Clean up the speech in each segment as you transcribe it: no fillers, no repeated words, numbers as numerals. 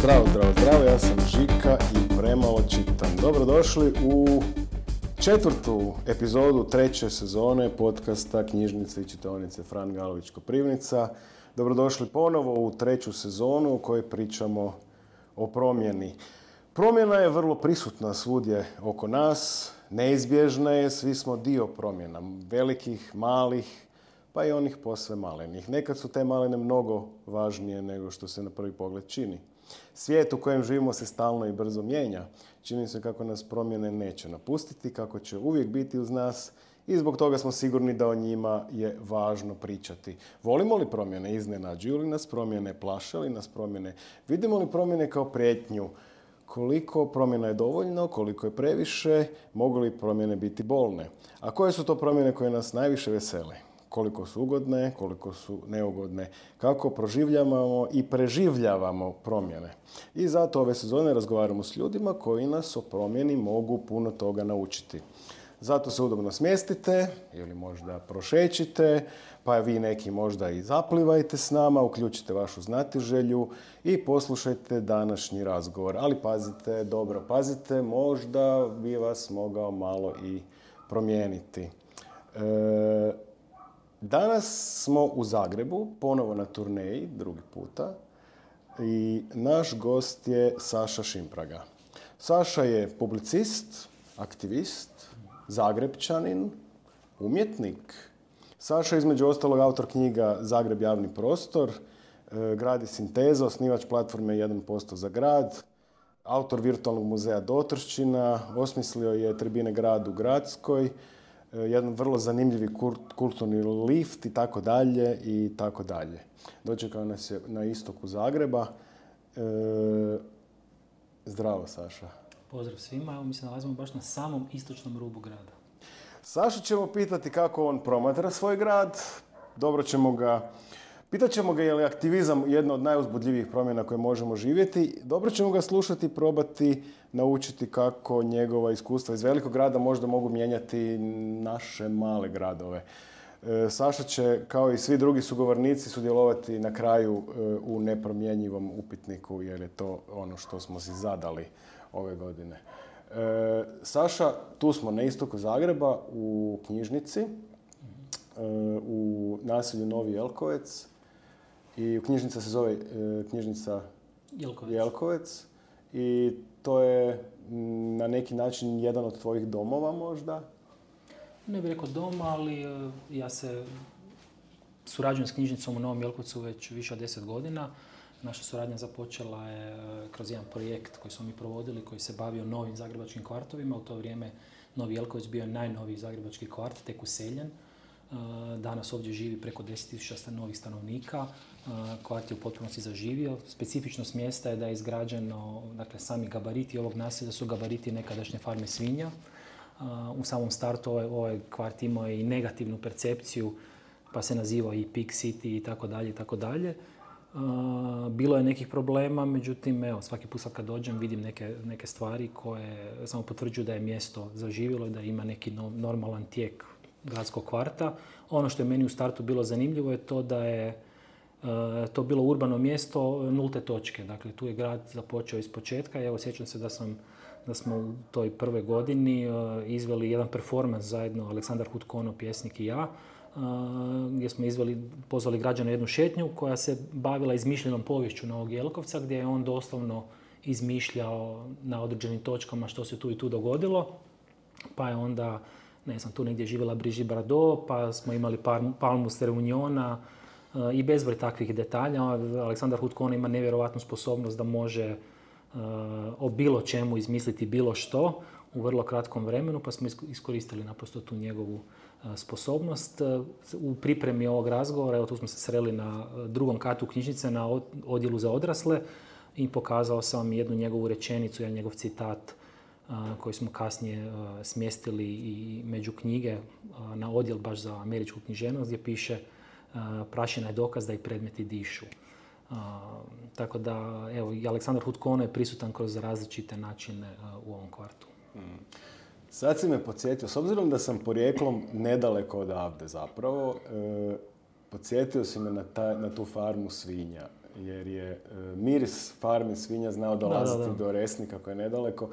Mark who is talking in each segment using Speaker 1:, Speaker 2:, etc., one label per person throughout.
Speaker 1: Zdravo, ja sam Žika i premalo čitam. Dobrodošli u četvrtu epizodu treće sezone podcasta Knjižnice i čitaonice Fran Galović Koprivnica. Dobrodošli ponovo u treću sezonu u kojoj pričamo o promjeni. Promjena je vrlo prisutna svugdje oko nas, neizbježna je, svi smo dio promjena, velikih, malih, pa i onih posve malenih. Nekad su te malene mnogo važnije nego što se na prvi pogled čini. Svijet u kojem živimo se stalno i brzo mijenja. Čini se kako nas promjene neće napustiti, kako će uvijek biti uz nas i zbog toga smo sigurni da o njima je važno pričati. Volimo li promjene? Iznenađuju li nas promjene? Plaše li nas promjene? Vidimo li promjene kao prijetnju? Koliko promjena je dovoljno, koliko je previše, mogu li promjene biti bolne? A koje su to promjene koje nas najviše vesele? Koliko su ugodne, koliko su neugodne, kako proživljavamo i preživljavamo promjene. I zato ove sezone razgovaramo s ljudima koji nas o promjeni mogu puno toga naučiti. Zato se udobno smjestite ili možda prošećite, pa vi neki možda i zaplivajte s nama, uključite vašu znatiželju i poslušajte današnji razgovor. Ali pazite, dobro pazite, možda bi vas mogao malo i promijeniti. Danas smo u Zagrebu, ponovo na turneji, drugi puta, i naš gost je Saša Šimpraga. Saša je publicist, aktivist, Zagrepčanin, umjetnik. Saša je između ostalog autor knjiga Zagreb javni prostor, Grad i sinteza, osnivač platforme 1% za grad, autor virtualnog muzeja Dotrščina, osmislio je tribine Grad u Gradskoj, jedan vrlo zanimljivi kulturni lift i tako dalje i tako dalje. Dočekao nas je na istoku Zagreba. Zdravo, Saša.
Speaker 2: Pozdrav svima, evo mi se nalazimo baš na samom istočnom rubu grada.
Speaker 1: Sašu ćemo pitati kako on promatra svoj grad. Pitat ćemo ga je li aktivizam jedna od najuzbudljivijih promjena koje možemo živjeti. Dobro ćemo ga slušati i probati naučiti kako njegova iskustva iz velikog grada možda mogu mijenjati naše male gradove. Saša će, kao i svi drugi sugovornici, sudjelovati na kraju u nepromjenjivom upitniku, jer je to ono što smo si zadali ove godine. Saša, tu smo na istoku Zagreba u knjižnici, u naselju Novi Jelkovec. I knjižnica se zove knjižnica Jelkovec. I to je na neki način jedan od tvojih domova možda?
Speaker 2: Ne bih rekao dom, ali ja se surađujem s knjižnicom u Novom Jelkovcu već više od 10 godina. Naša suradnja započela je kroz jedan projekt koji smo mi provodili, koji se bavio novim zagrebačkim kvartovima. U to vrijeme Novi Jelkovec bio je najnoviji zagrebački kvart, tek useljen. Danas ovdje živi preko 10.000 novih stanovnika. Kvart je u potpunosti zaživio. Specifičnost mjesta je da je izgrađeno, dakle, sami gabariti ovog naselja su gabariti nekadašnje farme svinja. U samom startu ovaj kvart imao je i negativnu percepciju, pa se nazivao i Pig City i tako dalje i tako dalje. Bilo je nekih problema, međutim, evo, svaki put kad dođem vidim neke stvari koje samo potvrđuju da je mjesto zaživjelo i da ima neki normalan tijek gradskog kvarta. Ono što je meni u startu bilo zanimljivo je to da je to bilo urbano mjesto nulte točke. Dakle, tu je grad započeo iz početka i evo, sjećam se da smo u toj prvoj godini izveli jedan performans zajedno, Aleksandar Hutkono, pjesnik i ja, gdje smo pozvali građana jednu šetnju koja se bavila izmišljenom poviješću Novog Jelkovca, gdje je on doslovno izmišljao na određenim točkama što se tu i tu dogodilo. Pa je onda, ne znam, tu negdje živjela Brigitte Bardot, pa smo imali palmu s Reuniona i bezbroj takvih detalja. Aleksandar Hutkono ima nevjerojatnu sposobnost da može o bilo čemu izmisliti bilo što u vrlo kratkom vremenu, pa smo iskoristili naprosto tu njegovu sposobnost. U pripremi ovog razgovora, evo tu smo se sreli na drugom katu knjižnice na odjelu za odrasle i pokazao sam jednu njegovu rečenicu, jedan njegov citat koji smo kasnije smjestili i među knjige na odjel baš za američku književnost, gdje piše prašina je dokaz da i predmeti dišu. Tako da, evo, i Aleksandar Hutkono je prisutan kroz različite načine u ovom kvartu.
Speaker 1: Sad si me podsjetio, s obzirom da sam porijeklom nedaleko odavde zapravo, podsjetio si me na tu farmu svinja. jer je miris farmi svinja znao dolaziti do Resnika koji je nedaleko.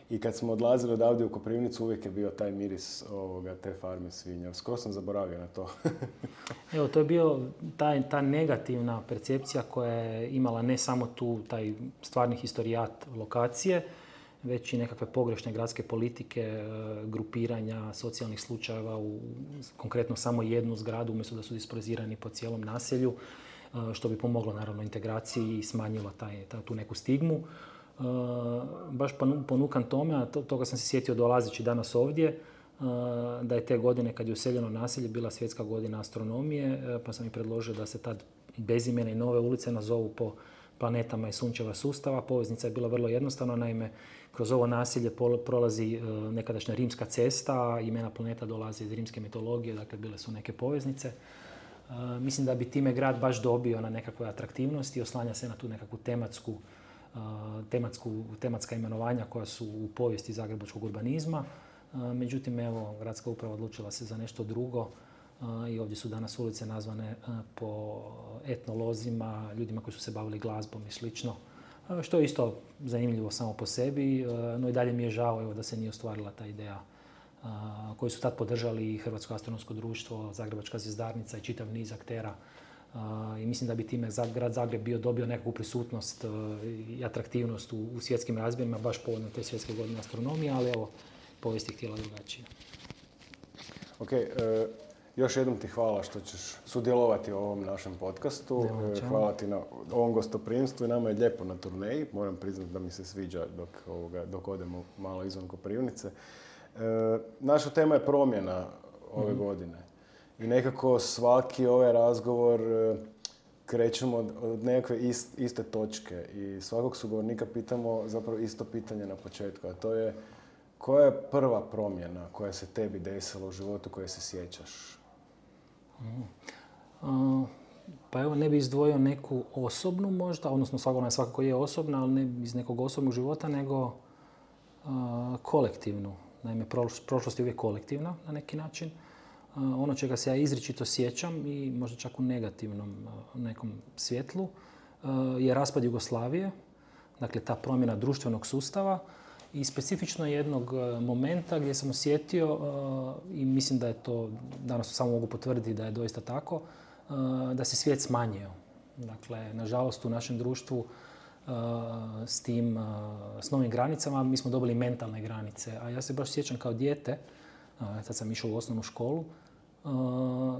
Speaker 1: I kad smo odlazili odavde u Koprivnicu, uvijek je bio taj miris te farme svinja. Skoro sam zaboravio na to.
Speaker 2: Evo, to je bio ta negativna percepcija koja je imala ne samo taj stvarni historijat lokacije, već i nekakve pogrešne gradske politike, grupiranja socijalnih slučajeva u konkretno samo jednu zgradu, umjesto da su disperzirani po cijelom naselju, što bi pomoglo naravno integraciji i smanjilo tu neku stigmu. Baš ponukan tome, a toga sam se sjetio dolazeći danas ovdje, da je te godine kad je useljeno naselje bila svjetska godina astronomije, pa sam i predložio da se tad bezimene i nove ulice nazovu po planetama i sunčeva sustava. Poveznica je bila vrlo jednostavna, naime, kroz ovo naselje prolazi nekadašnja rimska cesta, imena planeta dolaze iz rimske mitologije, dakle bile su neke poveznice. Mislim da bi time grad baš dobio na nekakvoj atraktivnosti, oslanja se na tu nekakvu tematska imenovanja koja su u povijesti zagrebačkog urbanizma. Međutim, evo, gradska uprava odlučila se za nešto drugo i ovdje su danas ulice nazvane po etnolozima, ljudima koji su se bavili glazbom i slično, što je isto zanimljivo samo po sebi, no i dalje mi je žao da se nije ostvarila ta ideja koju su tad podržali i Hrvatsko astronomsko društvo, Zagrebačka zvjezdarnica i čitav niz aktera. I mislim da bi time grad Zagreb dobio nekakvu prisutnost i atraktivnost u svjetskim razmjerima, baš povodom te svjetske godine astronomije, ali evo, povijest je htjela drugačije.
Speaker 1: Ok, još jednom ti hvala što ćeš sudjelovati u ovom našem podcastu. Hvala ti na ovom gostoprimstvu i nama je lijepo na turneji. Moram priznati da mi se sviđa dok odemo malo izvan Koprivnice. Naša tema je promjena ove godine. I nekako svaki ovaj razgovor krećemo od nekakve iste točke i svakog sugovornika pitamo zapravo isto pitanje na početku, a to je koja je prva promjena koja se tebi desila u životu koje se sjećaš?
Speaker 2: Pa evo, ne bi izdvojio neku osobnu možda, odnosno ona svakako je osobna, ali ne iz nekog osobnog života, nego kolektivnu. Naime, prošlost je uvijek kolektivna na neki način. Ono čega se ja izričito sjećam i možda čak u negativnom nekom svjetlu je raspad Jugoslavije, dakle ta promjena društvenog sustava i specifično jednog momenta gdje sam osjetio, i mislim da je to, danas samo mogu potvrditi da je doista tako, da se svijet smanjio. Dakle, nažalost u našem društvu s novim granicama mi smo dobili mentalne granice, a ja se baš sjećam kao dijete, sad sam išao u osnovnu školu,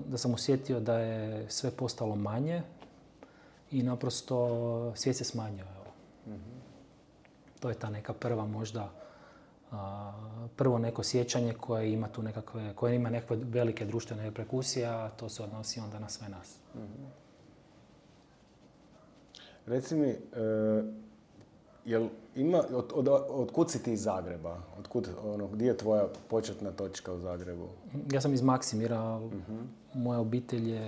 Speaker 2: da sam osjetio da je sve postalo manje i naprosto svijet se smanjio. To je ta neka prva možda, prvo neko sjećanje koje ima tu nekakve velike društvene reperkusije, a to se odnosi onda na sve nas.
Speaker 1: Reci mi, od kud si ti iz Zagreba? Gdje je tvoja početna točka u Zagrebu?
Speaker 2: Ja sam iz Maksimira. Moja obitelj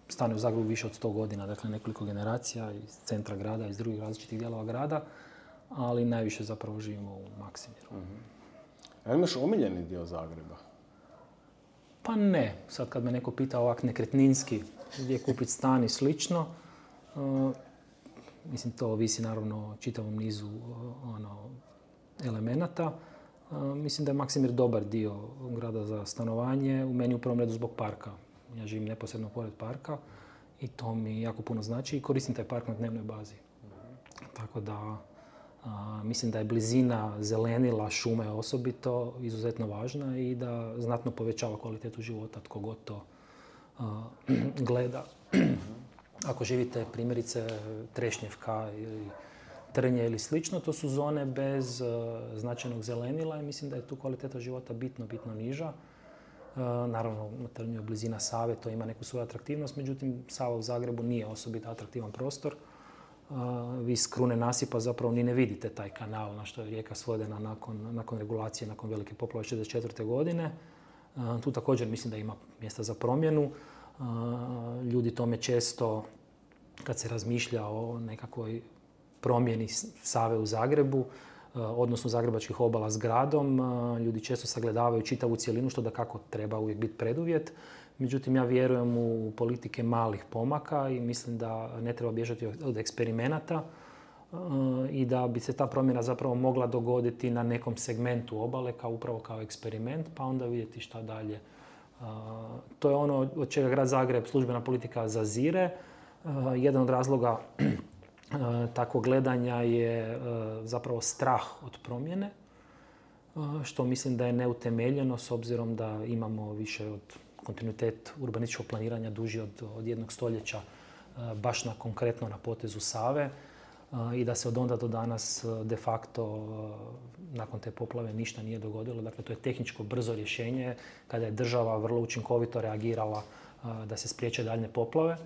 Speaker 2: stanuje u Zagrebu više od 100 godina, dakle nekoliko generacija iz centra grada, iz drugih različitih dijelova grada, ali najviše zapravo živimo u Maksimiru.
Speaker 1: A imaš omiljeni dio Zagreba?
Speaker 2: Pa ne. Sad kad me neko pita ovak nekretninski gdje kupiti stan i slično, mislim, to ovisi naravno o čitavom nizu elemenata. Mislim da je Maksimir dobar dio grada za stanovanje, u meni u prvom redu zbog parka. Ja živim neposredno pored parka i to mi jako puno znači i koristim taj park na dnevnoj bazi. Tako da mislim da je blizina zelenila, šume osobito, izuzetno važna i da znatno povećava kvalitetu života tko god to gleda. Ako živite primjerice Trešnjevka ili Trnje ili slično, to su zone bez značajnog zelenila i mislim da je tu kvaliteta života bitno niža. Naravno, na Trnju je blizina Save, to ima neku svoju atraktivnost, međutim Sava u Zagrebu nije osobito atraktivan prostor. Vi s krune nasipa zapravo ni ne vidite taj kanal na što je rijeka svodena nakon regulacije, nakon velike poplave 1964. godine. Tu također mislim da ima mjesta za promjenu. Ljudi tome često, kad se razmišlja o nekakvoj promjeni Save u Zagrebu, odnosno zagrebačkih obala s gradom, ljudi često sagledavaju čitavu cjelinu, što da kako treba uvijek biti preduvjet. Međutim, ja vjerujem u politike malih pomaka i mislim da ne treba bježati od eksperimenata i da bi se ta promjena zapravo mogla dogoditi na nekom segmentu obale upravo kao eksperiment, pa onda vidjeti šta dalje. To je ono od čega grad Zagreb, službena politika, zazire. Jedan od razloga takvog gledanja je zapravo strah od promjene, što mislim da je neutemeljeno s obzirom da imamo više od kontinuitet urbanističkog planiranja duži od jednog stoljeća baš konkretno na potezu Save i da se od onda do danas de facto nakon te poplave ništa nije dogodilo. Dakle, to je tehničko brzo rješenje kada je država vrlo učinkovito reagirala da se spriječe daljnje poplave.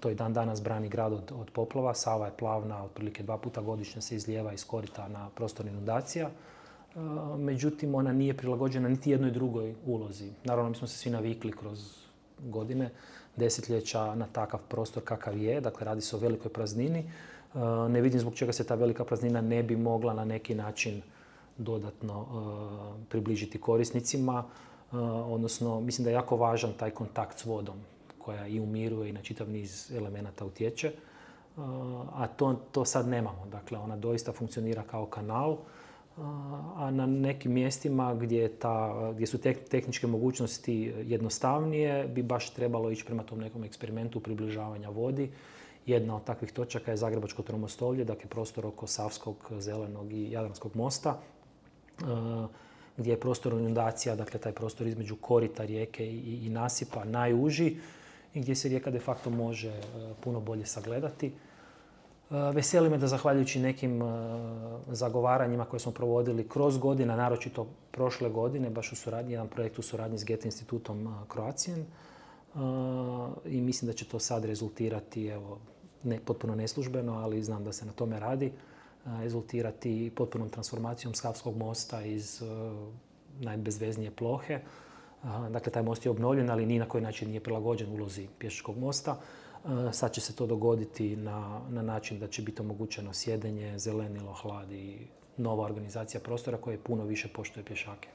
Speaker 2: To i dan danas brani grad od poplava. Sava je plavna, otprilike 2 puta godišnje se izlijeva iz korita na prostor inundacija. Međutim, ona nije prilagođena niti jednoj drugoj ulozi. Naravno, mi smo se svi navikli kroz godine, desetljeća na takav prostor kakav je. Dakle, radi se o velikoj praznini. Ne vidim zbog čega se ta velika praznina ne bi mogla na neki način dodatno približiti korisnicima. Odnosno, mislim da je jako važan taj kontakt s vodom koja i umiruje i na čitav niz elemenata utječe. A to sad nemamo. Dakle, ona doista funkcionira kao kanal, a na nekim mjestima gdje su tehničke mogućnosti jednostavnije bi baš trebalo ići prema tom nekom eksperimentu približavanja vodi. Jedna od takvih točaka je Zagrebačko Tromostolje, dakle prostor oko Savskog, Zelenog i Jadranskog mosta, gdje je prostor inundacija, dakle taj prostor između korita rijeke i nasipa najuži i gdje se rijeka de facto može puno bolje sagledati. Veseli me da zahvaljujući nekim zagovaranjima koje smo provodili kroz godine, naročito prošle godine, baš u suradnji, jedan projekt u suradnji s Goethe institutom Kroatijen, i mislim da će to sad rezultirati, evo, potpuno neslužbeno, ali znam da se na tome radi, rezultirati potpunom transformacijom Savskog mosta iz najbezveznije plohe. Dakle, taj most je obnovljen, ali ni na koji način nije prilagođen ulozi pješačkog mosta. Sad će se to dogoditi na način da će biti omogućeno sjedenje, zelenilo, hlad i nova organizacija prostora koja puno više poštuje pješake.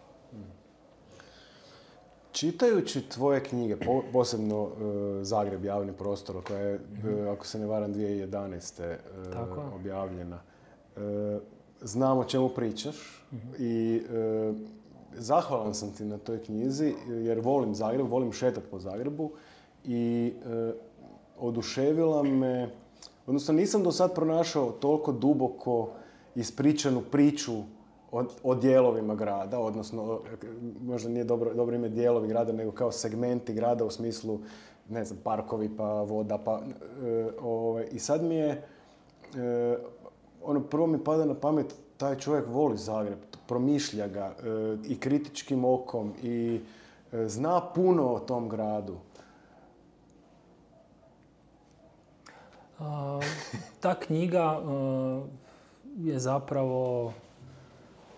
Speaker 1: Čitajući tvoje knjige, posebno Zagreb, javni prostor, koja je, ako se ne varam, 2011. Objavljena, znam o čemu pričaš i zahvalan sam ti na toj knjizi jer volim Zagreb, volim šetati po Zagrebu i oduševila me, odnosno nisam do sad pronašao toliko duboko ispričanu priču o dijelovima grada, odnosno možda nije dobro ime dijelovi grada, nego kao segmenti grada u smislu, ne znam, parkovi pa voda pa... I sad mi je, prvo mi pada na pamet, taj čovjek voli Zagreb, promišlja ga i kritičkim okom i zna puno o tom gradu.
Speaker 2: Ta knjiga je zapravo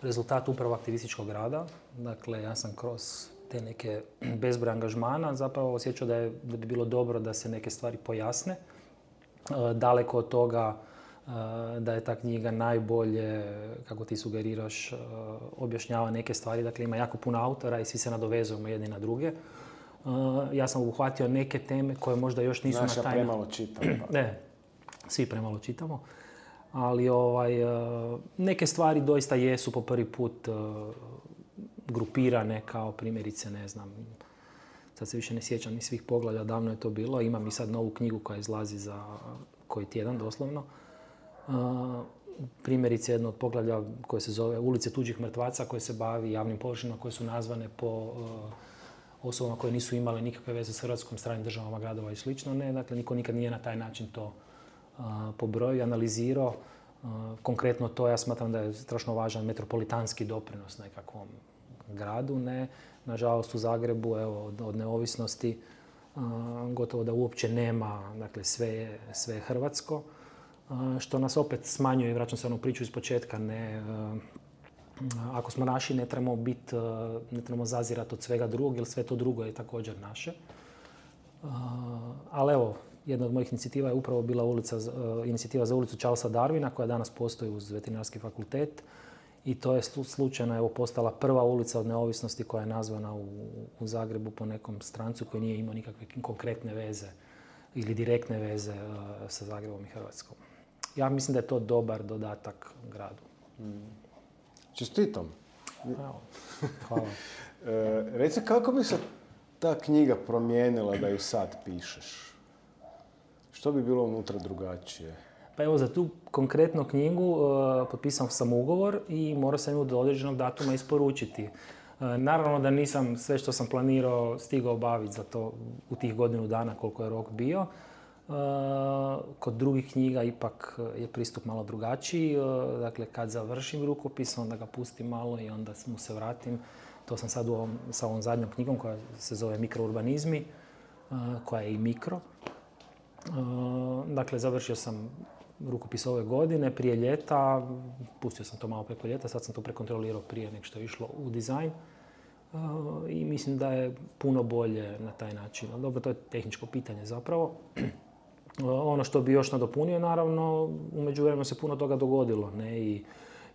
Speaker 2: rezultat upravo aktivističkog rada. Dakle, ja sam kroz te neke bezbroj angažmana zapravo osjećao da bi bilo dobro da se neke stvari pojasne. Daleko od toga da je ta knjiga najbolje, kako ti sugeriraš, objašnjava neke stvari. Dakle, ima jako puno autora i svi se nadovezujemo jedni na druge. Ja sam obuhvatio neke teme koje možda još nisu na taj...
Speaker 1: Znaš, ja premalo čitam.
Speaker 2: Ne, svi premalo čitamo. Ali neke stvari doista jesu po prvi put grupirane kao primjerice, ne znam, sad se više ne sjećam ni svih poglavlja, davno je to bilo. Imam i sad novu knjigu koja izlazi za koji tjedan doslovno. Primjerice jedno od poglavlja koje se zove Ulice tuđih mrtvaca, koje se bavi javnim površinama koje su nazvane po osobama koje nisu imale nikakve veze s Hrvatskom, stranim državama, gradova i slično. Ne, dakle, niko nikad nije na taj način to pobrojio i analizirao. Konkretno to ja smatram da je strašno važan metropolitanski doprinos nekakvom gradu. Ne. Nažalost u Zagrebu, evo, od neovisnosti gotovo da uopće nema, dakle sve je hrvatsko, što nas opet smanjuje, vraćam se onu priču iz početka, ne, ako smo naši ne trebamo zazirati od svega drugog, jer sve to drugo je također naše. Ali evo, jedna od mojih inicijativa je upravo bila inicijativa za ulicu Charlesa Darwina, koja danas postoji uz Veterinarski fakultet I to je slučajno postala prva ulica od neovisnosti koja je nazvana u Zagrebu po nekom strancu koji nije imao nikakve konkretne veze ili direktne veze sa Zagrebom i Hrvatskom. Ja mislim da je to dobar dodatak gradu.
Speaker 1: Čestitam.
Speaker 2: Hvala.
Speaker 1: Reci, kako bi se ta knjiga promijenila da ju sad pišeš? Što bi bilo unutra drugačije?
Speaker 2: Pa evo, za tu konkretnu knjigu potpisao sam ugovor i morao sam ju do određenog datuma isporučiti. Naravno da nisam sve što sam planirao stigao obaviti za to u tih godinu dana koliko je rok bio. Kod drugih knjiga ipak je pristup malo drugačiji. Dakle, kad završim rukopis, onda ga pustim malo i onda mu se vratim. To sam sad sa ovom zadnjom knjigom koja se zove Mikrourbanizmi, koja je i mikro. Dakle, završio sam rukopis ove godine, prije ljeta. Pustio sam to malo preko ljeta, sad sam to prekontrolirao prije nego što je išlo u dizajn. I mislim da je puno bolje na taj način. Dobro, to je tehničko pitanje zapravo. Ono što bi još nadopunio, naravno, u međuvremenu se puno toga dogodilo. Ne? I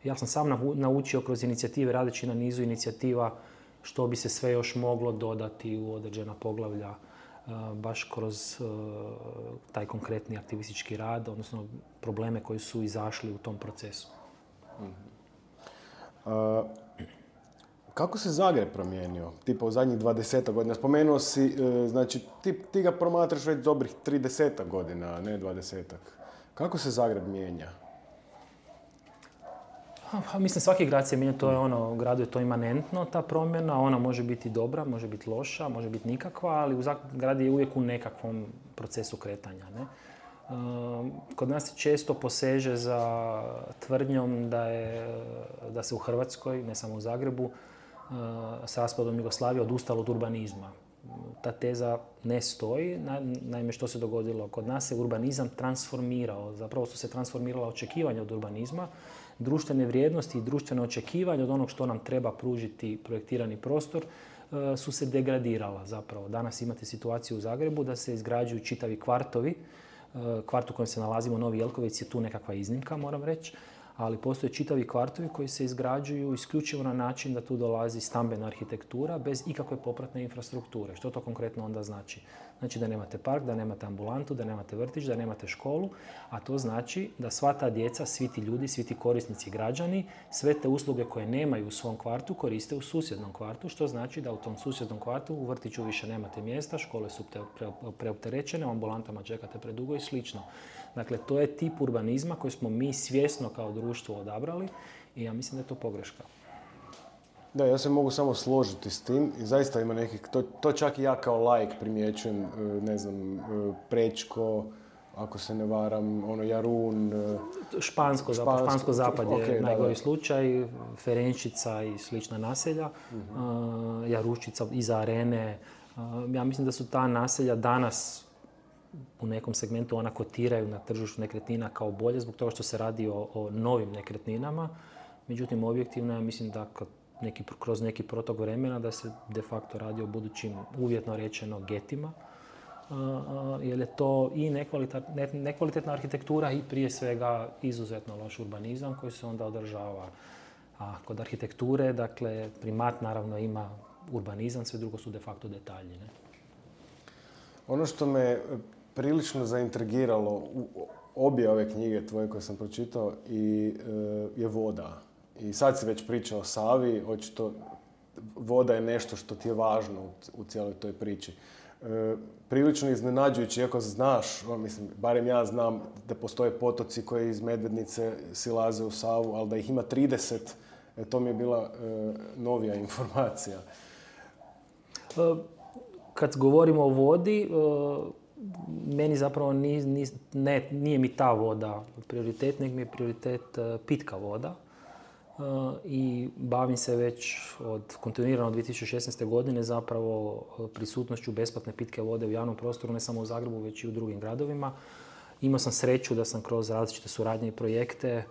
Speaker 2: ja sam sam naučio kroz inicijative, radeći na nizu inicijativa, što bi se sve još moglo dodati u određena poglavlja, baš kroz taj konkretni aktivistički rad, odnosno probleme koji su izašli u tom procesu.
Speaker 1: Kako se Zagreb promijenio, tipa u zadnjih 20 godina? Spomenuo si, znači ti ga promatraš već dobrih 30 godina, a ne 20-ak. Kako se Zagreb mijenja?
Speaker 2: Mislim, svaki grad se mijenja, to je u gradu je to imanentno, ta promjena. Ona može biti dobra, može biti loša, može biti nikakva, ali grad je uvijek u nekakvom procesu kretanja. Ne? Kod nas se često poseže za tvrdnjom da se u Hrvatskoj, ne samo u Zagrebu, s raspadom Jugoslavije odustalo od urbanizma. Ta teza ne stoji. Naime, što se dogodilo? Kod nas se urbanizam transformirao. Zapravo su se transformirala očekivanja od urbanizma. Društvene vrijednosti i društvene očekivanja od onog što nam treba pružiti projektirani prostor su se degradirala zapravo. Danas imate situaciju u Zagrebu da se izgrađuju čitavi kvartovi. Kvart u kojem se nalazimo, Novi Jelkovec, je tu nekakva iznimka, moram reći. Ali postoje čitavi kvartovi koji se izgrađuju isključivo na način da tu dolazi stambena arhitektura bez ikakve popratne infrastrukture. Što to konkretno onda znači? Znači da nemate park, da nemate ambulantu, da nemate vrtić, da nemate školu, a to znači da sva ta djeca, svi ti ljudi, svi ti korisnici građani, sve te usluge koje nemaju u svom kvartu koriste u susjednom kvartu, što znači da u tom susjednom kvartu u vrtiću više nemate mjesta, škole su preopterećene, u ambulantama čekate predugo i slično. Dakle, to je tip urbanizma koji smo mi svjesno kao društvo odabrali i ja mislim da je to pogreška.
Speaker 1: Da, ja se mogu samo složiti s tim i zaista ima nekih, to čak i ja kao laik primjećujem, ne znam, Prečko, ako se ne varam, Jarun.
Speaker 2: Špansko zapad je najgori slučaj, Ferenčica i slična naselja, Jaruščica iza Arene. Ja mislim da su ta naselja danas u nekom segmentu ona kotiraju na tržištu nekretnina kao bolje zbog toga što se radi o novim nekretninama. Međutim, objektivno ja mislim da kroz neki protok vremena da se de facto radi o budućim, uvjetno rečeno, getima. Jer je to i nekvalitetna arhitektura i prije svega izuzetno loš urbanizam koji se onda održava. A kod arhitekture, dakle, primat naravno ima urbanizam, sve drugo su de facto detalji. Ne?
Speaker 1: Ono što me prilično zaintrigiralo u obje ove knjige tvoje koje sam pročitao je voda. I sad si već pričao o Savi, očito voda je nešto što ti je važno u cijeloj toj priči. Prilično iznenađujući, iako znaš, mislim, barem ja znam da postoje potoci koji iz Medvednice silaze u Savu, ali da ih ima 30, to mi je bila novija informacija.
Speaker 2: Kad govorimo o vodi, meni zapravo nije mi ta voda prioritet, nego mi je prioritet pitka voda. I bavim se već kontinuirano od 2016. godine zapravo prisutnošću besplatne pitke vode u javnom prostoru, ne samo u Zagrebu, već i u drugim gradovima. Imao sam sreću da sam kroz različite suradnje i projekte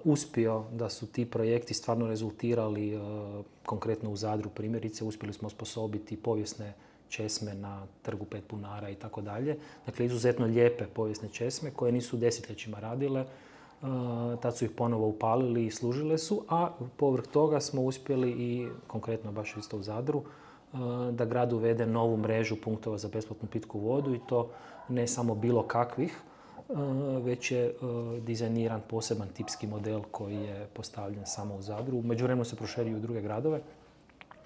Speaker 2: uspio da su ti projekti stvarno rezultirali, konkretno u Zadru primjerice, uspjeli smo osposobiti povijesne česme na Trgu 5 bunara i tako dalje. Dakle, izuzetno lijepe povijesne česme koje nisu desetljećima radile Tad su ih ponovo upalili i služile su, a povrh toga smo uspjeli i, konkretno baš isto u Zadru, da grad uvede novu mrežu punktova za besplatnu pitku vodu i to ne samo bilo kakvih, već je dizajniran poseban tipski model koji je postavljen samo u Zadru. U međuvremenu se proširio u druge gradove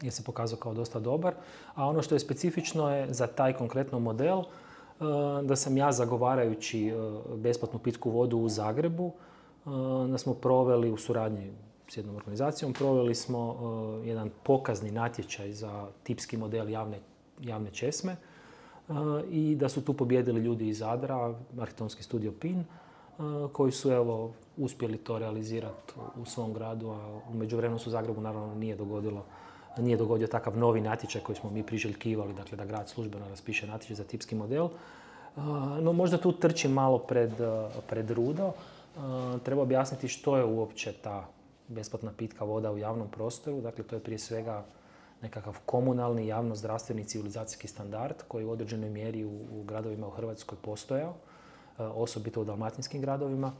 Speaker 2: jer se pokazao kao dosta dobar. A ono što je specifično je za taj konkretno model da sam ja zagovarajući besplatnu pitku vodu u Zagrebu, da smo proveli u suradnji s jednom organizacijom, proveli smo jedan pokazni natječaj za tipski model javne česme i da su tu pobijedili ljudi iz Zadra, arhitektonski studio PIN, koji su uspjeli to realizirati u svom gradu, a u međuvremenu se u Zagrebu naravno nije dogodio takav novi natječaj koji smo mi priželjkivali, dakle da grad službeno raspiše natječaj za tipski model. No možda tu trčim malo pred rudo. Treba objasniti što je uopće ta besplatna pitka voda u javnom prostoru. Dakle, to je prije svega nekakav komunalni, javno-zdravstveni civilizacijski standard koji u određenoj mjeri u gradovima u Hrvatskoj postojao, osobito u dalmatinskim gradovima,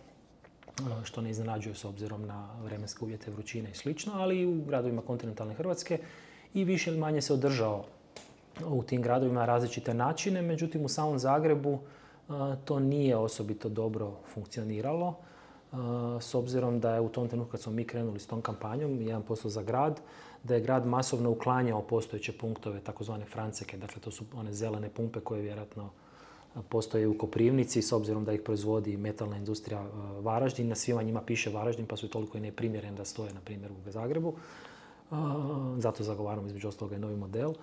Speaker 2: što ne iznenađuje s obzirom na vremenske uvjete, vrućine i slično, ali i u gradovima kontinentalne Hrvatske i više ili manje se održao u tim gradovima različite načine, međutim u samom Zagrebu to nije osobito dobro funkcioniralo, s obzirom da je u tom trenutku kad smo mi krenuli s tom kampanjom, 1% za grad, da je grad masovno uklanjao postojeće punktove, takozvane franceke, dakle to su one zelene pumpe koje vjerojatno postoje u Koprivnici, s obzirom da ih proizvodi metalna industrija Varaždin. Na svima njima piše Varaždin, pa su toliko i neprimjereni da stoje, na primjer, u Zagrebu. Zato zagovaramo između ostaloga i novi model.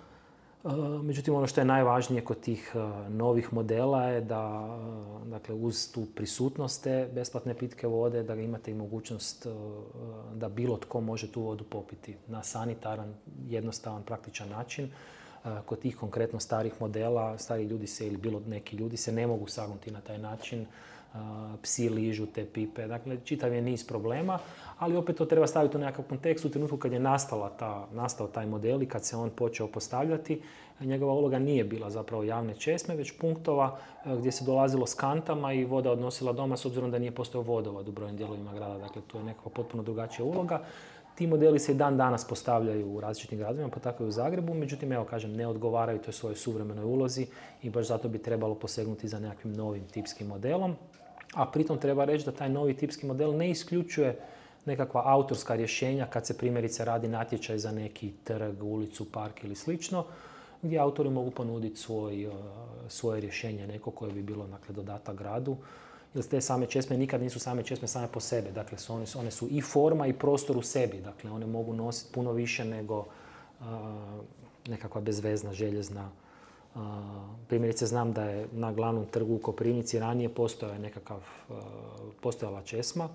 Speaker 2: Međutim, ono što je najvažnije kod tih novih modela je da, dakle, uz tu prisutnost te besplatne pitke vode, da imate i mogućnost da bilo tko može tu vodu popiti na sanitaran, jednostavan, praktičan način. Kod tih konkretno starih modela, stari ljudi se ili bilo neki ljudi se ne mogu sagnuti na taj način. Psi ližu te pipe, dakle čitav je niz problema, ali opet to treba staviti u nekakav kontekst. U trenutku kad je nastao taj model i kad se on počeo postavljati, njegova uloga nije bila zapravo javne česme, već punktova gdje se dolazilo s kantama i voda odnosila doma, s obzirom da nije postojao vodovod u brojnim dijelovima grada, dakle to je nekakva potpuno drugačija uloga. Ti modeli se i dan danas postavljaju u različitim gradovima, pa tako i u Zagrebu, međutim, evo kažem, ne odgovaraju toj svojoj suvremenoj ulozi i baš zato bi trebalo posegnuti za nekakvim novim tipskim modelom. A pritom treba reći da taj novi tipski model ne isključuje nekakva autorska rješenja kad se primjerice radi natječaj za neki trg, ulicu, park ili slično, gdje autori mogu ponuditi svoje rješenje, neko koje bi bilo, dakle, dodatak gradu. Jer te same česme nikad nisu same česme same po sebi. Dakle, one su i forma i prostor u sebi. Dakle, one mogu nositi puno više nego nekakva bezvezna, željezna. Primjerice, znam da je na glavnom trgu u Koprivnici ranije postojala česma.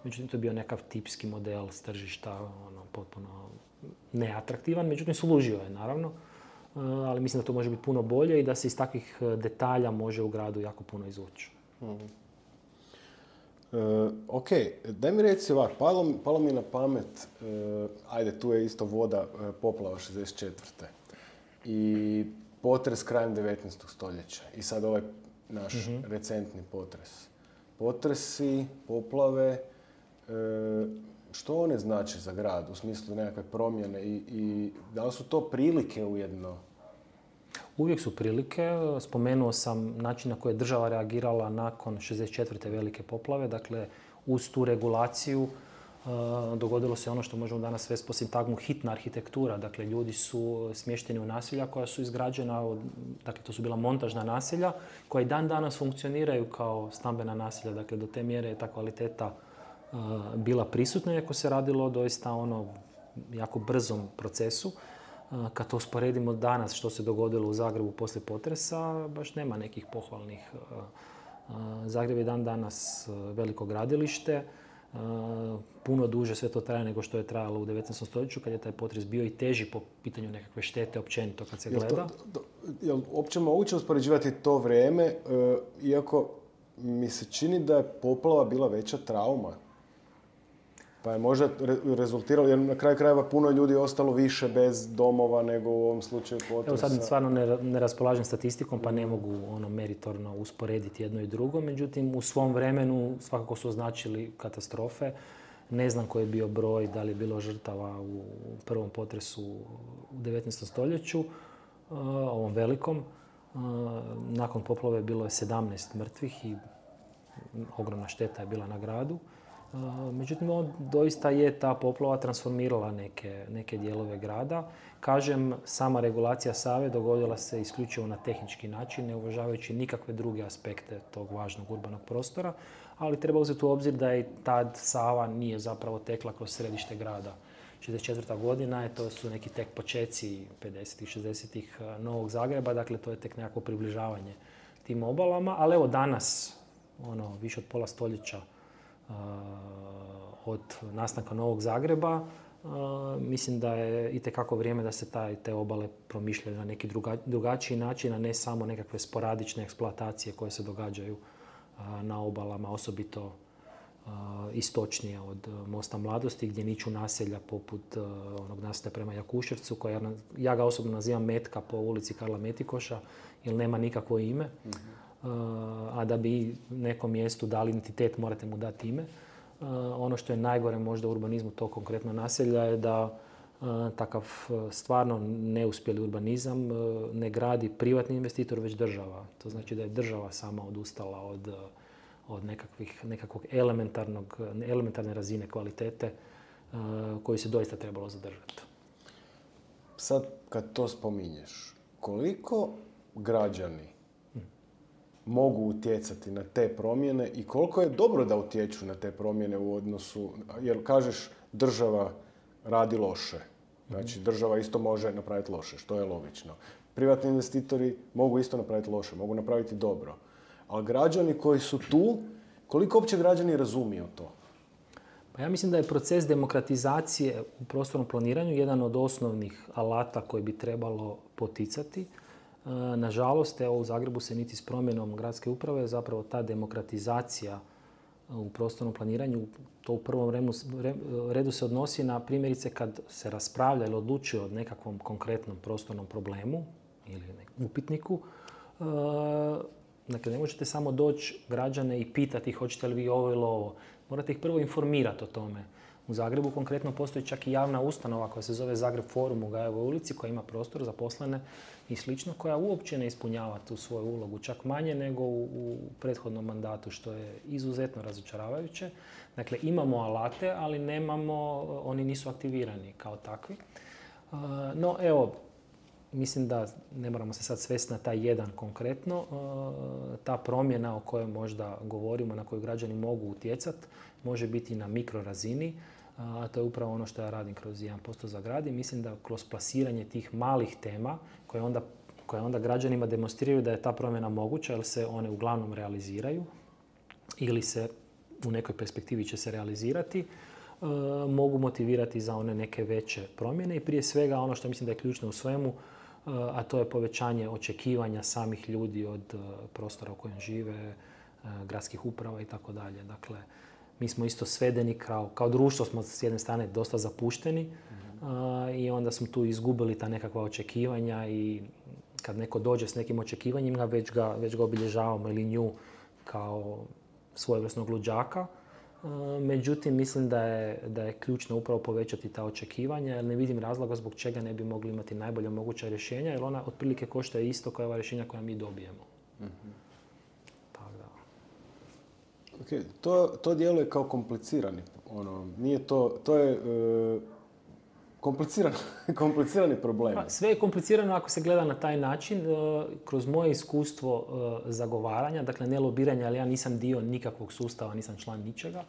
Speaker 2: Međutim, to je bio nekakav tipski model s tržišta, potpuno neatraktivan. Međutim, služio je, naravno. Ali mislim da to može biti puno bolje i da se iz takvih detalja može u gradu jako puno izvući.
Speaker 1: Ok, daj mi reci ovako, palo mi na pamet, ajde, tu je isto voda, poplava 64. I potres krajem 19. stoljeća i sad ovaj naš recentni potres. Potresi, poplave, što one znači za grad u smislu nekakve promjene i da li su to prilike ujedno?
Speaker 2: Uvijek su prilike. Spomenuo sam način na koji je država reagirala nakon 64. velike poplave. Dakle, uz tu regulaciju dogodilo se ono što možemo danas svesti po sintagmu hitna arhitektura. Dakle, ljudi su smješteni u naselja koja su izgrađena, dakle, to su bila montažna naselja koja i dan danas funkcioniraju kao stambena naselja. Dakle, do te mjere je ta kvaliteta bila prisutna, iako se radilo doista jako brzom procesu. Kad to usporedimo danas što se dogodilo u Zagrebu poslije potresa, baš nema nekih pohvalnih. Zagreb je dan danas veliko gradilište, puno duže sve to traje nego što je trajalo u 19. stoljeću kad je taj potres bio i teži po pitanju nekakve štete općenito kad se gleda.
Speaker 1: Je li uopće moguće uspoređivati to vrijeme, iako mi se čini da je poplava bila veća trauma? Pa je možda rezultiralo, jer na kraju krajeva puno ljudi je ostalo više bez domova nego u ovom slučaju potresa.
Speaker 2: Evo sad stvarno ne raspolažem statistikom pa ne mogu meritorno usporediti jedno i drugo. Međutim, u svom vremenu svakako su označili katastrofe. Ne znam koji je bio broj, da li je bilo žrtava u prvom potresu u 19. stoljeću, ovom velikom. Nakon poplave bilo je 17 mrtvih i ogromna šteta je bila na gradu. Međutim, doista je ta poplava transformirala neke dijelove grada. Kažem, sama regulacija Save dogodila se isključivo na tehnički način, ne uvažavajući nikakve druge aspekte tog važnog urbanog prostora, ali treba uzeti u obzir da i tad Sava nije zapravo tekla kroz središte grada. 64. godina je, to su neki tek počeci 50-ih, 60-ih Novog Zagreba, dakle to je tek nekako približavanje tim obalama, ali evo danas, više od pola stoljeća od nastanka Novog Zagreba, mislim da je itekako vrijeme da se te obale promišljaju na neki drugačiji način, a ne samo nekakve sporadične eksploatacije koje se događaju na obalama, osobito istočnije od Mosta Mladosti, gdje niču naselja poput onog naselja prema Jakuševcu, ja ga osobno nazivam Metka po ulici Karla Metikoša, jer nema nikakvo ime. A da bi nekom mjestu dali identitet, morate mu dati ime. Ono što je najgore možda u urbanizmu tog konkretno naselja je da takav stvarno neuspjeli urbanizam ne gradi privatni investitor, već država. To znači da je država sama odustala od nekakvog elementarne razine kvalitete koju se doista trebalo zadržati.
Speaker 1: Sad kad to spominješ, koliko građani mogu utjecati na te promjene i koliko je dobro da utječu na te promjene u odnosu, jer kažeš država radi loše. Znači država isto može napraviti loše, što je logično. Privatni investitori mogu isto napraviti loše, mogu napraviti dobro. Ali građani koji su tu, koliko uopće građani razumiju to?
Speaker 2: Pa ja mislim da je proces demokratizacije u prostornom planiranju jedan od osnovnih alata koji bi trebalo poticati. Nažalost, evo u Zagrebu se niti s promjenom gradske uprave zapravo ta demokratizacija u prostornom planiranju, to u prvom redu se odnosi na primjerice kad se raspravlja ili odlučuje o nekakvom konkretnom prostornom problemu ili upitniku. Dakle, ne možete samo doći građane i pitati hoćete li vi ovo ili ovo. Morate ih prvo informirati o tome. U Zagrebu konkretno postoji čak i javna ustanova koja se zove Zagreb Forum u Gajevoj ulici, koja ima prostor za zaposlene i slično, koja uopće ne ispunjava tu svoju ulogu, čak manje nego u prethodnom mandatu, što je izuzetno razočaravajuće. Dakle, imamo alate, ali oni nisu aktivirani kao takvi. No, evo, mislim da ne moramo se sad svesti na taj jedan konkretno. Ta promjena o kojoj možda govorimo, na koju građani mogu utjecati, može biti na mikrorazini, a to je upravo ono što ja radim kroz 1% za grad i mislim da kroz plasiranje tih malih tema koje onda građanima demonstriraju da je ta promjena moguća, jer se one uglavnom realiziraju ili se u nekoj perspektivi će se realizirati, mogu motivirati za one neke veće promjene i prije svega ono što mislim da je ključno u svemu, a to je povećanje očekivanja samih ljudi od prostora u kojem žive, gradskih uprava i tako dalje. Dakle, mi smo isto svedeni, kao društvo smo s jedne strane dosta zapušteni i onda smo tu izgubili ta nekakva očekivanja i kad neko dođe s nekim očekivanjima, već ga obilježavamo ili nju kao svojevrsnog luđaka. Međutim, mislim da je ključno upravo povećati ta očekivanja, jer ne vidim razloga zbog čega ne bi mogli imati najbolja moguća rješenja, jer ona otprilike košta isto kao ova rješenja koja mi dobijemo. Tako da.
Speaker 1: Okay, to djeluje kao komplicirani. Nije to je komplicirani problem.
Speaker 2: Pa, sve je komplicirano ako se gleda na taj način. Kroz moje iskustvo zagovaranja, dakle ne lobiranja, ali ja nisam dio nikakvog sustava, nisam član ničega.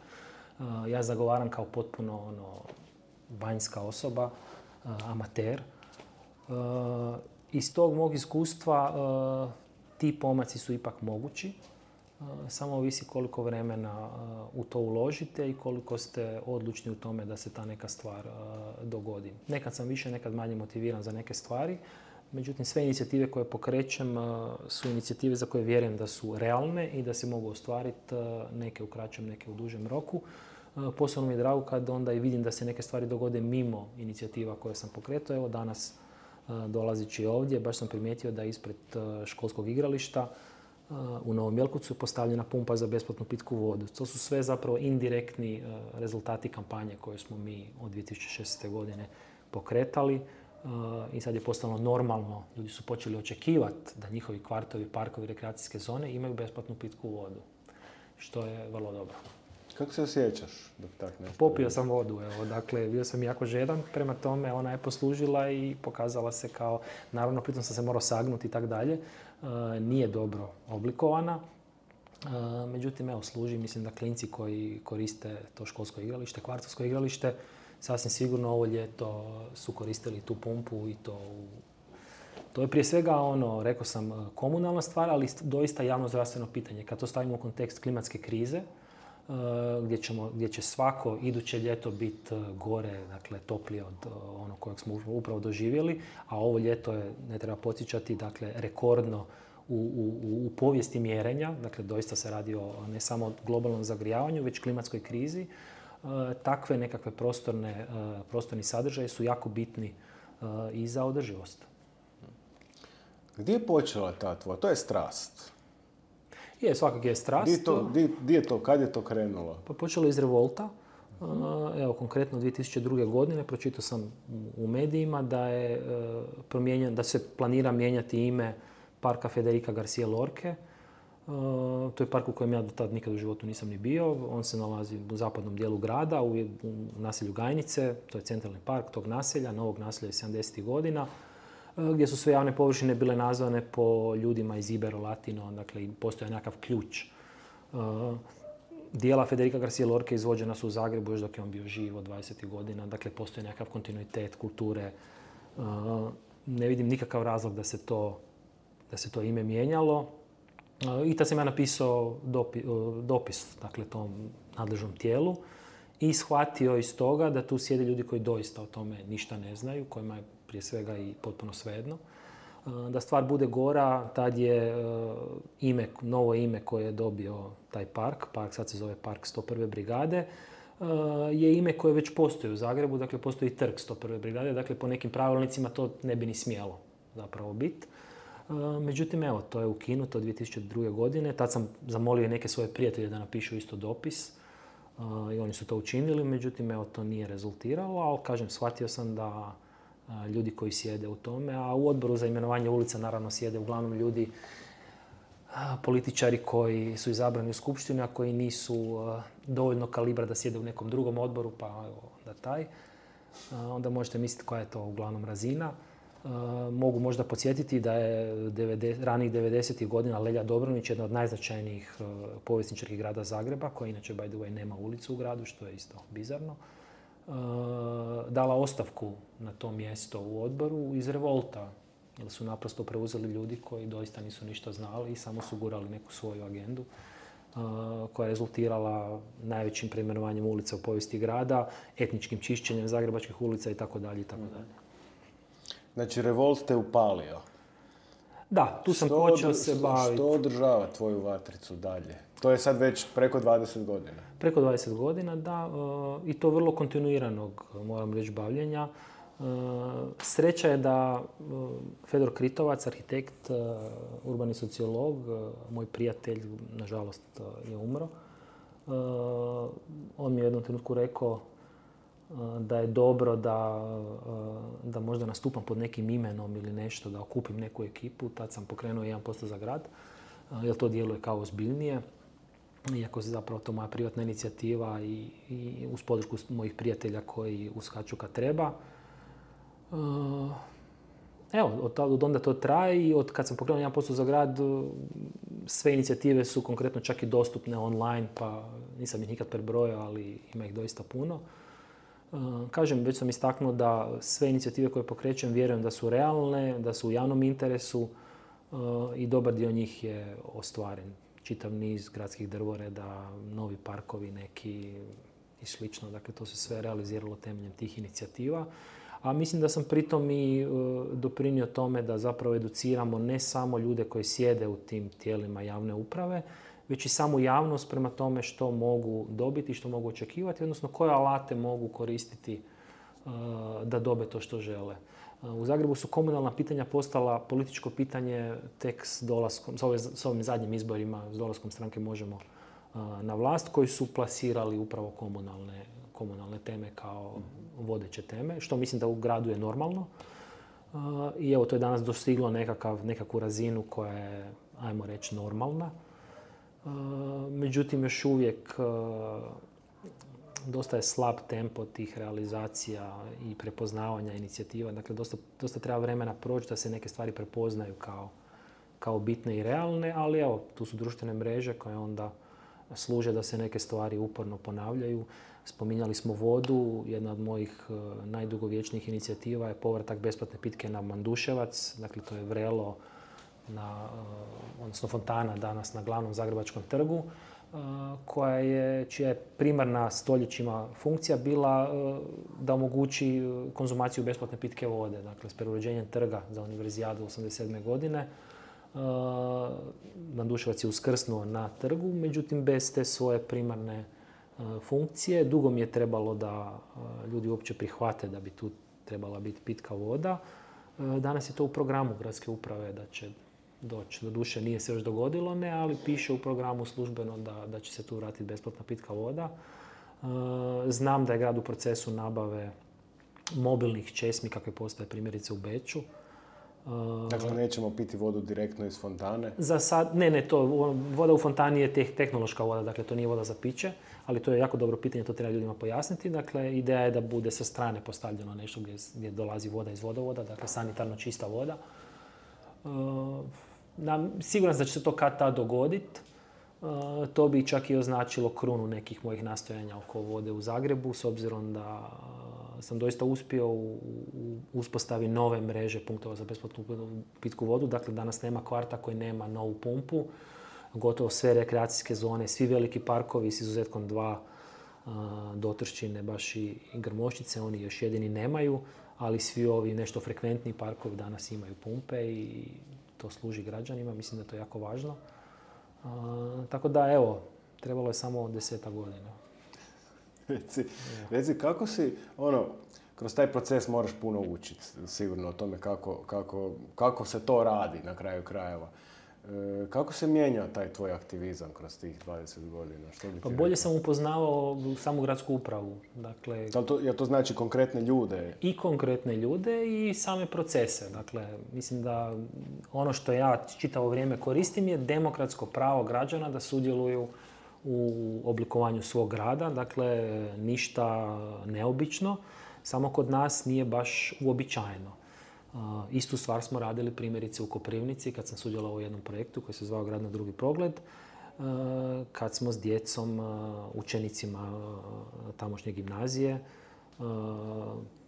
Speaker 2: Ja zagovaram kao potpuno vanjska osoba, amater. Iz tog mog iskustva ti pomaci su ipak mogući. Samo ovisi koliko vremena u to uložite i koliko ste odlučni u tome da se ta neka stvar dogodi. Nekad sam više, nekad manje motiviran za neke stvari. Međutim, sve inicijative koje pokrećem su inicijative za koje vjerujem da su realne i da se mogu ostvariti, neke u kraćem, neke u dužem roku. Posebno mi je drago kad onda i vidim da se neke stvari dogode mimo inicijativa koje sam pokretao. Evo danas dolazeći ovdje, baš sam primijetio da je ispred školskog igrališta u Novom Jelkovcu postavljena pumpa za besplatnu pitku vodu. To su sve zapravo indirektni rezultati kampanje koje smo mi od 2016. godine pokretali. I sad je postalo normalno, ljudi su počeli očekivati da njihovi kvartovi, parkovi, rekreacijske zone imaju besplatnu pitku vodu, što je vrlo dobro.
Speaker 1: Kako se osjećaš dok tak nešto?
Speaker 2: Popio sam vodu, evo, dakle, bio sam jako žedan, prema tome ona je poslužila i pokazala se kao, naravno, pritom sam se morao sagnuti i tak dalje, nije dobro oblikovana, međutim, evo, služi, mislim da klinci koji koriste to školsko igralište, kvartovsko igralište, sasvim sigurno ovo ljeto su koristili tu pumpu i to je prije svega rekao sam, komunalna stvar, ali doista javno zdravstveno pitanje. Kad to stavimo u kontekst klimatske krize, gdje će svako iduće ljeto biti gore, dakle toplije od onog kojeg smo upravo doživjeli, a ovo ljeto je, ne treba podsjećati, dakle rekordno u povijesti mjerenja, dakle doista se radi o ne samo globalnom zagrijavanju, već klimatskoj krizi. Takve nekakve prostorni sadržaji su jako bitni i za održivost.
Speaker 1: Gdje je počela ta tvoja? To je strast.
Speaker 2: Svakako je strast.
Speaker 1: Gdje je to? Kad je to krenulo?
Speaker 2: Pa počelo iz revolta. Evo, konkretno 2002. godine pročitao sam u medijima da se planira mijenjati ime parka Federica Garcia Lorque. To je park u kojem ja do tad nikad u životu nisam ni bio. On se nalazi u zapadnom dijelu grada, u naselju Gajnice. To je centralni park tog naselja, novog naselja iz 70. godina, gdje su sve javne površine bile nazvane po ljudima iz Ibero-Latino, dakle postoji nekakav ključ. Dijela Federica Garcia Lorque izvođena su u Zagrebu još dok je on bio živ od 20. godina, dakle postoji nekakav kontinuitet kulture. Ne vidim nikakav razlog da se to ime mijenjalo. I tad sam ja napisao dopis, dakle, tom nadležnom tijelu i shvatio iz toga da tu sjede ljudi koji doista o tome ništa ne znaju, kojima je prije svega i potpuno svejedno. Da stvar bude gora, tad je novo ime koje je dobio taj park sad se zove Park 101. brigade, je ime koje već postoji u Zagrebu, dakle postoji trg 101. brigade, dakle po nekim pravilnicima to ne bi ni smjelo zapravo biti. Međutim, evo, to je ukinuto 2002. godine. Tad sam zamolio neke svoje prijatelje da napišu isto dopis i oni su to učinili. Međutim, evo, to nije rezultiralo, ali kažem, shvatio sam da ljudi koji sjede u tome, a u odboru za imenovanje ulica naravno sjede uglavnom ljudi, političari koji su izabrani u skupštinu, a koji nisu dovoljno kalibra da sjede u nekom drugom odboru, pa evo, onda taj. Onda možete misliti koja je to uglavnom razina. Mogu možda podsjetiti da je ranih 90. godina Lelja Dobronić, jedna od najznačajnijih povjesničarki grada Zagreba, koja inače, by the way, nema ulicu u gradu, što je isto bizarno, dala ostavku na to mjesto u odboru iz revolta, jer su naprosto preuzeli ljudi koji doista nisu ništa znali i samo su gurali neku svoju agendu koja je rezultirala najvećim preimenovanjem ulica u povijesti grada, etničkim čišćenjem zagrebačkih ulica itd.
Speaker 1: Znači, revolt te upalio.
Speaker 2: Da, tu sam počeo se baviti.
Speaker 1: Što održava tvoju vatricu dalje? To je sad već preko 20 godina.
Speaker 2: Preko 20 godina, da. I to vrlo kontinuiranog, moram reći, bavljenja. Sreća je da Fedor Kritovac, arhitekt, urbani sociolog, moj prijatelj, nažalost, je umro. On mi je u jednom trenutku rekao da je dobro da možda nastupam pod nekim imenom ili nešto, da okupim neku ekipu. Tad sam pokrenuo 1% za grad, jer to djeluje kao ozbiljnije. Iako se zapravo to moja privatna inicijativa i uz podršku mojih prijatelja koji uskaču kad treba. Evo, od onda to traje i od kad sam pokrenuo 1% za grad, sve inicijative su konkretno čak i dostupne online, pa nisam ih nikad prebrojao, ali ima ih doista puno. Kažem, već sam istaknuo da sve inicijative koje pokrećem vjerujem da su realne, da su u javnom interesu i dobar dio njih je ostvaren. Čitav niz gradskih drvoreda, novi parkovi neki i slično. Dakle, to se sve realiziralo temeljem tih inicijativa. A mislim da sam pritom i doprinio tome da zapravo educiramo ne samo ljude koji sjede u tim tijelima javne uprave, već i samu javnost prema tome što mogu dobiti, što mogu očekivati, odnosno koje alate mogu koristiti da dobe to što žele. U Zagrebu su komunalna pitanja postala političko pitanje tek s dolaskom, s ovim zadnjim izborima, s dolaskom stranke Možemo na vlast, koji su plasirali upravo komunalne teme kao vodeće teme, što mislim da u gradu je normalno. I evo, to je danas dostiglo nekakvu razinu koja je, ajmo reći, normalna. Međutim, još uvijek dosta je slab tempo tih realizacija i prepoznavanja inicijativa. Dakle, dosta treba vremena proći da se neke stvari prepoznaju kao bitne i realne, ali evo, tu su društvene mreže koje onda služe da se neke stvari uporno ponavljaju. Spominjali smo vodu, jedna od mojih najdugovječnijih inicijativa je povratak besplatne pitke na Manduševac, dakle to je vrelo, odnosno fontana danas na glavnom Zagrebačkom trgu, čija je primarna stoljećima funkcija bila da omogući konzumaciju besplatne pitke vode. Dakle, s preuređenjem trga za univerzijadu 1987. godine Manduševac je uskrsnuo na trgu, međutim bez te svoje primarne funkcije. Dugo mi je trebalo da ljudi uopće prihvate da bi tu trebala biti pitka voda. Danas je to u programu gradske uprave da će doći. Doduše nije se još dogodilo, ali piše u programu službeno da će se tu vratiti besplatna pitka voda. Znam da je grad u procesu nabave mobilnih česmi kakve postoje primjerice u Beču.
Speaker 1: Dakle, nećemo piti vodu direktno iz fontane?
Speaker 2: Za sad, voda u fontani je tehnološka voda, dakle to nije voda za piće, ali to je jako dobro pitanje, to treba ljudima pojasniti. Dakle, ideja je da bude sa strane postavljeno nešto gdje dolazi voda iz vodovoda, dakle sanitarno čista voda. Siguran sam da će se to kad tad dogoditi. To bi čak i označilo krunu nekih mojih nastojanja oko vode u Zagrebu, s obzirom da sam doista uspio u uspostavi nove mreže punktova za besplatnu pitku vodu. Dakle, danas nema kvarta koji nema novu pumpu. Gotovo sve rekreacijske zone, svi veliki parkovi s izuzetkom 2 Dotrščine, baš i Grmoščice, oni još jedini nemaju, ali svi ovi nešto frekventni parkovi danas imaju pumpe i to služi građanima. Mislim da je to jako važno. Tako da, evo, trebalo je samo 10 godina.
Speaker 1: Reci, kako si, kroz taj proces moraš puno učiti, sigurno o tome kako se to radi na kraju krajeva. Kako se mijenja taj tvoj aktivizam kroz tih 20 godina?
Speaker 2: Pa bolje sam upoznavao samu gradsku upravu. Dakle,
Speaker 1: jel to znači konkretne ljude?
Speaker 2: I konkretne ljude i same procese. Dakle, mislim da ono što ja čitavo vrijeme koristim je demokratsko pravo građana da sudjeluju u oblikovanju svog grada. Dakle, ništa neobično, samo kod nas nije baš uobičajeno. Istu stvar smo radili primjerice u Koprivnici kad sam sudjelovao u jednom projektu koji se zvao Grad na drugi pogled, kad smo s djecom, učenicima tamošnje gimnazije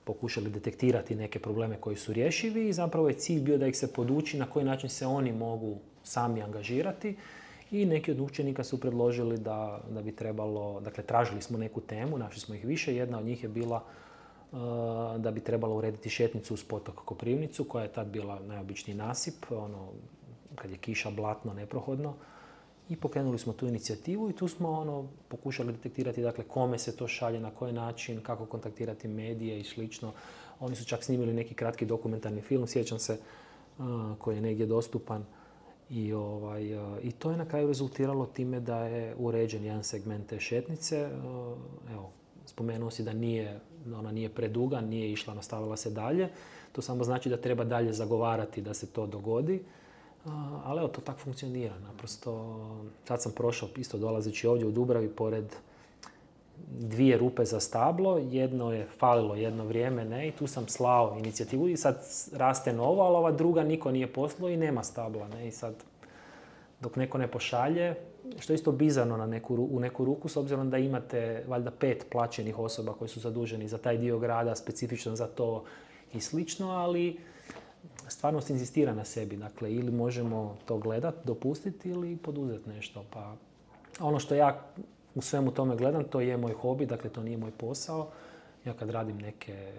Speaker 2: pokušali detektirati neke probleme koji su rješivi i zapravo je cilj bio da ih se poduči na koji način se oni mogu sami angažirati. I neki od učenika su predložili da bi trebalo, dakle tražili smo neku temu, našli smo ih više, jedna od njih je bila da bi trebalo urediti šetnicu uz potok Koprivnicu, koja je tad bila najobičniji nasip, kad je kiša, blatno, neprohodno. I pokrenuli smo tu inicijativu i tu smo pokušali detektirati, dakle, kome se to šalje, na koji način, kako kontaktirati medije i slično. Oni su čak snimili neki kratki dokumentarni film, sjećam se, koji je negdje dostupan. I to je na kraju rezultiralo time da je uređen jedan segment te šetnice. Evo, spomenuo si da ona nije preduga, nije išla, nastavila se dalje. To samo znači da treba dalje zagovarati da se to dogodi. Ali evo, to tako funkcionira. Naprosto, sad sam prošao, isto dolazeći ovdje u Dubravi, pored 2 rupe za stablo. Jedno je falilo jedno vrijeme, i tu sam slao inicijativu i sad raste novo, ali ova druga niko nije poslao i nema stabla. I sad, dok neko ne pošalje, što je isto bizarno u neku ruku, s obzirom da imate valjda 5 plaćenih osoba koji su zaduženi za taj dio grada, specifično za to i slično, ali stvarnost inzistira na sebi. Dakle, ili možemo to gledati, dopustiti ili poduzeti nešto. Pa ono što ja u svemu tome gledam, to je moj hobi, dakle to nije moj posao. Ja kad radim neke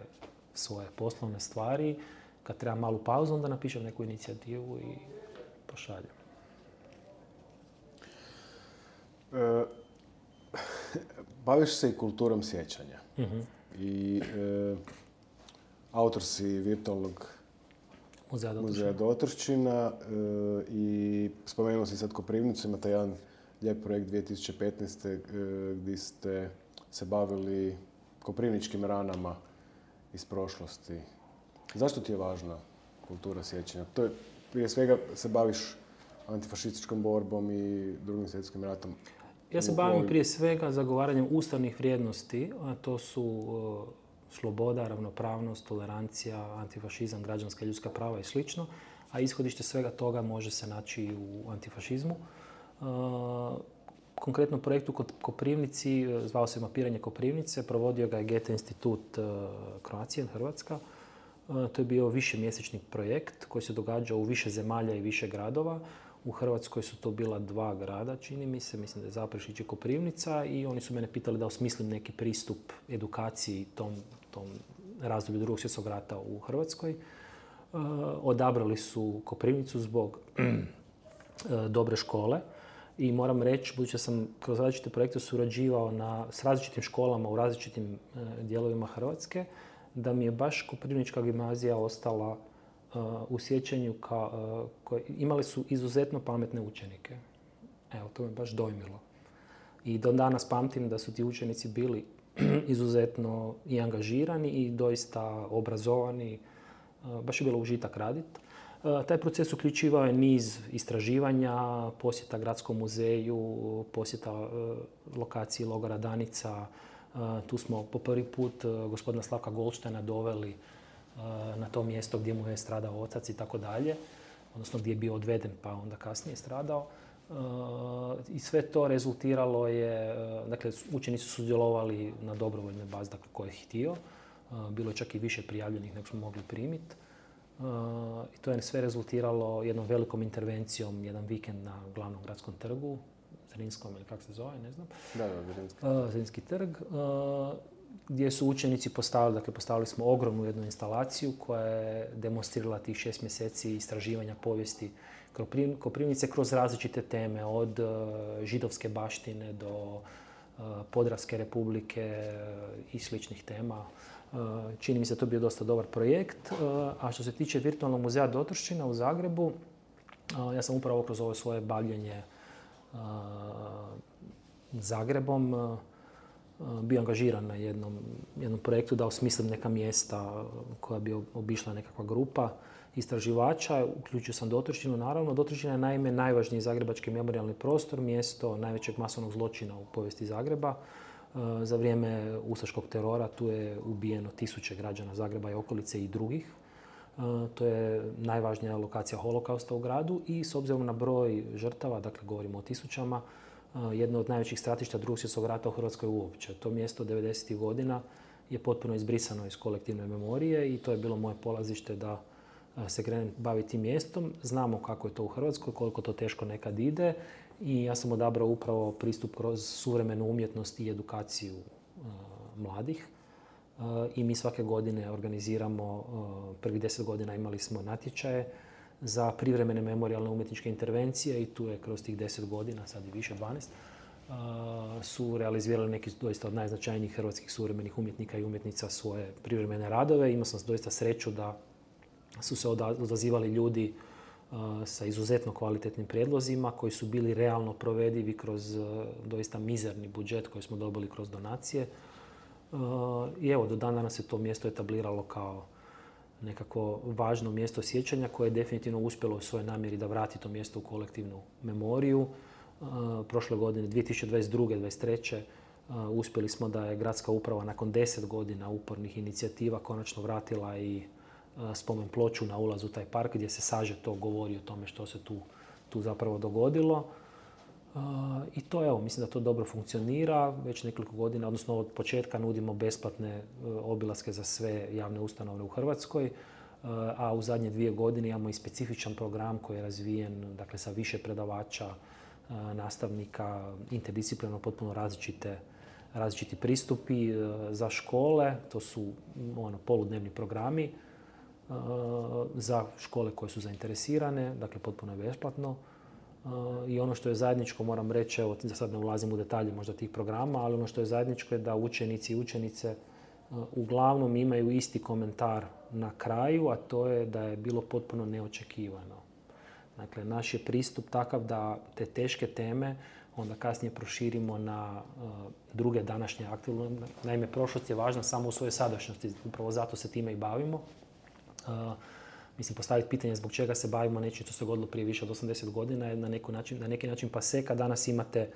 Speaker 2: svoje poslovne stvari. Kad treba malu pauzu, onda napišem neku inicijativu i pošaljem.
Speaker 1: Baviš se i kulturom sjećanja. I autor si virtualnog muzeja Dotrščina i spomenuo si sad Koprivnicu, imate jedan lijep projekt 2015. Gdje ste se bavili koprivničkim ranama iz prošlosti. Zašto ti je važna kultura sjećanja? To je, prije svega se baviš antifašističkom borbom i Drugim svjetskim ratom.
Speaker 2: Ja se bavim prije svega zagovaranjem ustavnih vrijednosti, a to su sloboda, ravnopravnost, tolerancija, antifašizam, građanska i ljudska prava i sl. A ishodište svega toga može se naći i u antifašizmu. Konkretno projektu kod Koprivnici, zvao se Mapiranje Koprivnice, provodio ga je Goethe institut Croatia, Hrvatska. To je bio višemjesečni projekt koji se događao u više zemalja i više gradova. U Hrvatskoj su to bila 2 grada, čini mi se, mislim da je Zaprešić i Koprivnica, i oni su mene pitali da osmislim neki pristup edukaciji tom razdoblju Drugog svjetskog rata u Hrvatskoj. Odabrali su Koprivnicu zbog dobre škole i moram reći, budući da sam kroz različite projekte surađivao s različitim školama u različitim dijelovima Hrvatske, da mi je baš Koprivnička gimnazija ostala u sjećanju, imali su izuzetno pametne učenike. Evo, to me baš dojmilo. I do danas pamtim da su ti učenici bili izuzetno i angažirani i doista obrazovani. Baš je bilo užitak raditi. Taj proces uključivao je niz istraživanja, posjeta Gradskom muzeju, posjeta lokaciji logora Danica. Tu smo po prvi put gospodina Slavka Goldsteina doveli na to mjesto gdje mu je stradao otac i tako dalje, odnosno gdje je bio odveden pa onda kasnije stradao. I sve to rezultiralo je, dakle učenici su sudjelovali na dobrovoljnoj bazi, dakle ko je htio. Bilo je čak i više prijavljenih nego smo mogli primiti. I to je sve rezultiralo jednom velikom intervencijom, jedan vikend na glavnom gradskom trgu, Zrinskom ili kako se zove, ne znam.
Speaker 1: Da,
Speaker 2: Zrinski trg, gdje su učenici postavili smo ogromnu jednu instalaciju koja je demonstrirala tih 6 mjeseci istraživanja povijesti Koprivnice kroz različite teme, od židovske baštine do Podravske republike i sličnih tema. Čini mi se to bio dosta dobar projekt. A što se tiče virtualnog muzeja Dotrščina u Zagrebu, ja sam upravo kroz ovo svoje bavljenje Zagrebom bio angažiran na jednom projektu da osmislim neka mjesta koja bi obišla nekakva grupa istraživača. Uključio sam Dotrščinu, naravno. Dotrščina je naime najvažniji zagrebački memorijalni prostor, mjesto najvećeg masovnog zločina u povijesti Zagreba. Za vrijeme ustaškog terora tu je ubijeno 1000 građana Zagreba i okolice i drugih. To je najvažnija lokacija holokausta u gradu i s obzirom na broj žrtava, dakle govorimo o 1000, jedno od najvećih stratišta Drugog svjetskog rata u Hrvatskoj uopće. To mjesto 90. godina je potpuno izbrisano iz kolektivne memorije i to je bilo moje polazište da se krenem baviti tim mjestom. Znamo kako je to u Hrvatskoj, koliko to teško nekad ide i ja sam odabrao upravo pristup kroz suvremenu umjetnost i edukaciju mladih. I mi svake godine organiziramo, prvih 10 godina imali smo natječaje za privremene memorijalne umjetničke intervencije i tu je kroz tih 10 godina, sad i više 12, su realizirali neki doista od najznačajnijih hrvatskih suvremenih umjetnika i umjetnica svoje privremene radove. Imao sam doista sreću da su se odazivali ljudi sa izuzetno kvalitetnim prijedlozima koji su bili realno provedivi kroz doista mizerni budžet koji smo dobili kroz donacije. I evo, do dana se to mjesto etabliralo kao nekako važno mjesto sjećanja koje je definitivno uspjelo u svojoj namjeri da vrati to mjesto u kolektivnu memoriju. Prošle godine, 2022. 2023. Uspjeli smo da je gradska uprava nakon 10 godina upornih inicijativa konačno vratila i spomen ploču na ulazu u taj park gdje se sažeto govori o tome što se tu zapravo dogodilo. I to evo, mislim da to dobro funkcionira. Već nekoliko godina, odnosno od početka nudimo besplatne obilaske za sve javne ustanove u Hrvatskoj, a u zadnje 2 godine imamo i specifičan program koji je razvijen, dakle sa više predavača, nastavnika, interdisciplinarno potpuno različite različiti pristupi za škole, to su poludnevni programi za škole koje su zainteresirane, dakle potpuno je besplatno. I ono što je zajedničko, moram reći, evo za sad ne ulazim u detalje možda tih programa, ali ono što je zajedničko je da učenici i učenice uglavnom imaju isti komentar na kraju, a to je da je bilo potpuno neočekivano. Dakle, naš je pristup takav da te teške teme onda kasnije proširimo na druge današnje aktivnosti. Naime, prošlost je važna samo u svojoj sadašnjosti, upravo zato se time i bavimo. Mislim, postaviti pitanje zbog čega se bavimo nečim što se dogodilo prije više od 80 godina je na neki način paseka. Danas imate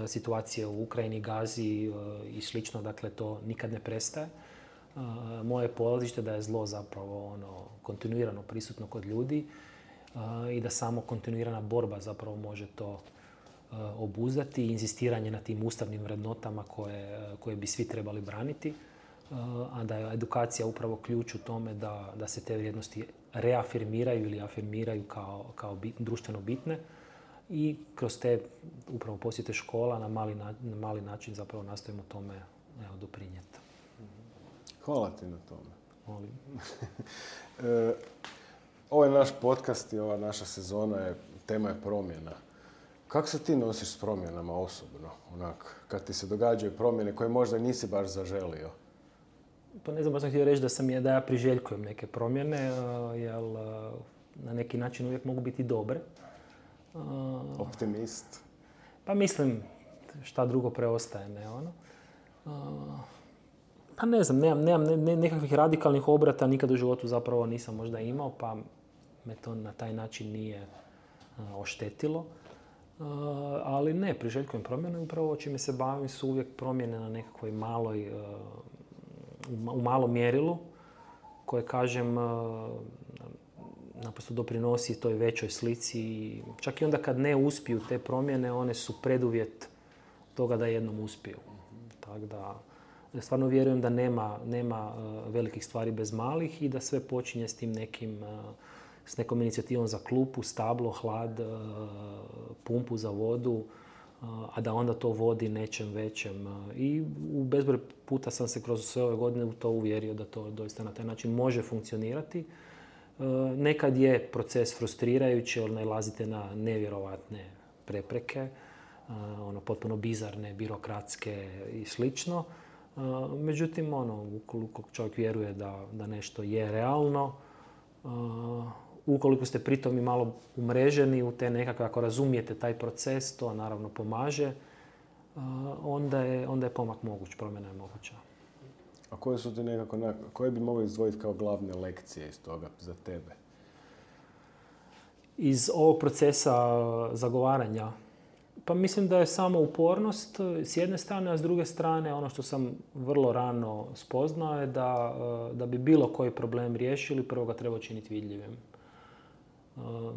Speaker 2: situacije u Ukrajini, Gazi i slično, dakle to nikad ne prestaje. Moje polazište da je zlo zapravo kontinuirano prisutno kod ljudi i da samo kontinuirana borba zapravo može to obuzdati i inzistiranje na tim ustavnim vrednotama koje bi svi trebali braniti, a da je edukacija upravo ključ u tome da se te vrijednosti reafirmiraju ili afirmiraju kao društveno bitne i kroz te upravo posjete škola na mali način zapravo nastojimo tome doprinijeti.
Speaker 1: Hvala ti na tome.
Speaker 2: Molim.
Speaker 1: Ovaj naš podcast i ova naša sezona tema je promjena. Kako se ti nosiš s promjenama osobno? Kad ti se događaju promjene koje možda nisi baš zaželio?
Speaker 2: Pa ne znam, baš sam htio reći da ja priželjkujem neke promjene, jer na neki način uvijek mogu biti dobre.
Speaker 1: Optimist?
Speaker 2: Pa mislim, šta drugo preostaje, ne ono. Pa ne znam, nemam nekakvih radikalnih obrata, nikad u životu zapravo nisam možda imao, pa me to na taj način nije oštetilo. Ali ne, priželjkujem promjene, upravo čime se bavim su uvijek promjene na nekakvoj u malom mjerilu, koje, kažem, naprosto doprinosi toj većoj slici. Čak i onda kad ne uspiju te promjene, one su preduvjet toga da jednom uspiju. Tako da stvarno vjerujem da nema velikih stvari bez malih i da sve počinje s nekom inicijativom za klupu, stablo, hlad, pumpu za vodu, a da onda to vodi nečem većem. I u bezbroj puta sam se kroz sve ove godine u to uvjerio da to doista na taj način može funkcionirati. Nekad je proces frustrirajući, jer nailazite na nevjerovatne prepreke, potpuno bizarne, birokratske i slično. Međutim, ukoliko čovjek vjeruje da nešto je realno, ukoliko ste pritom i malo umreženi u te nekakve, ako razumijete taj proces, to naravno pomaže, onda je pomak moguć, promjena je moguća.
Speaker 1: A koje su ti koje bi mogli izdvojiti kao glavne lekcije iz toga za tebe?
Speaker 2: Iz ovog procesa zagovaranja? Pa mislim da je samo upornost s jedne strane, a s druge strane ono što sam vrlo rano spoznao je da bi bilo koji problem riješili, prvo ga treba učiniti vidljivim.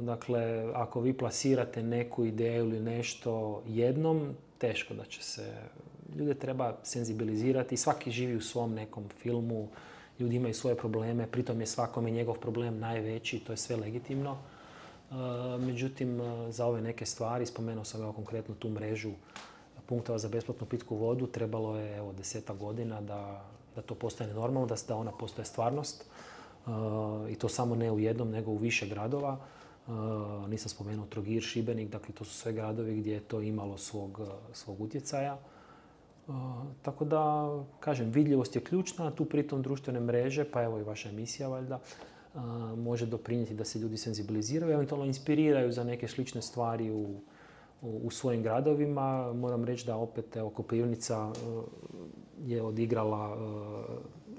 Speaker 2: Dakle, ako vi plasirate neku ideju ili nešto jednom, teško da će se... Ljude treba senzibilizirati. Svaki živi u svom nekom filmu, ljudi imaju svoje probleme, pritom je svakome njegov problem najveći, to je sve legitimno. Međutim, za ove neke stvari, spomenuo sam konkretno tu mrežu punktova za besplatnu pitku vodu, trebalo je 10 godina da to postane normalno, da ona postaje stvarnost. I to samo ne u jednom, nego u više gradova. Nisam spomenuo Trogir, Šibenik, dakle to su sve gradovi gdje je to imalo svog utjecaja. Tako da, kažem, vidljivost je ključna, tu pritom društvene mreže, pa evo i vaša emisija valjda, može doprinijeti da se ljudi senzibiliziraju, eventualno inspiriraju za neke slične stvari u svojim gradovima. Moram reći da opet Koprivnica je odigrala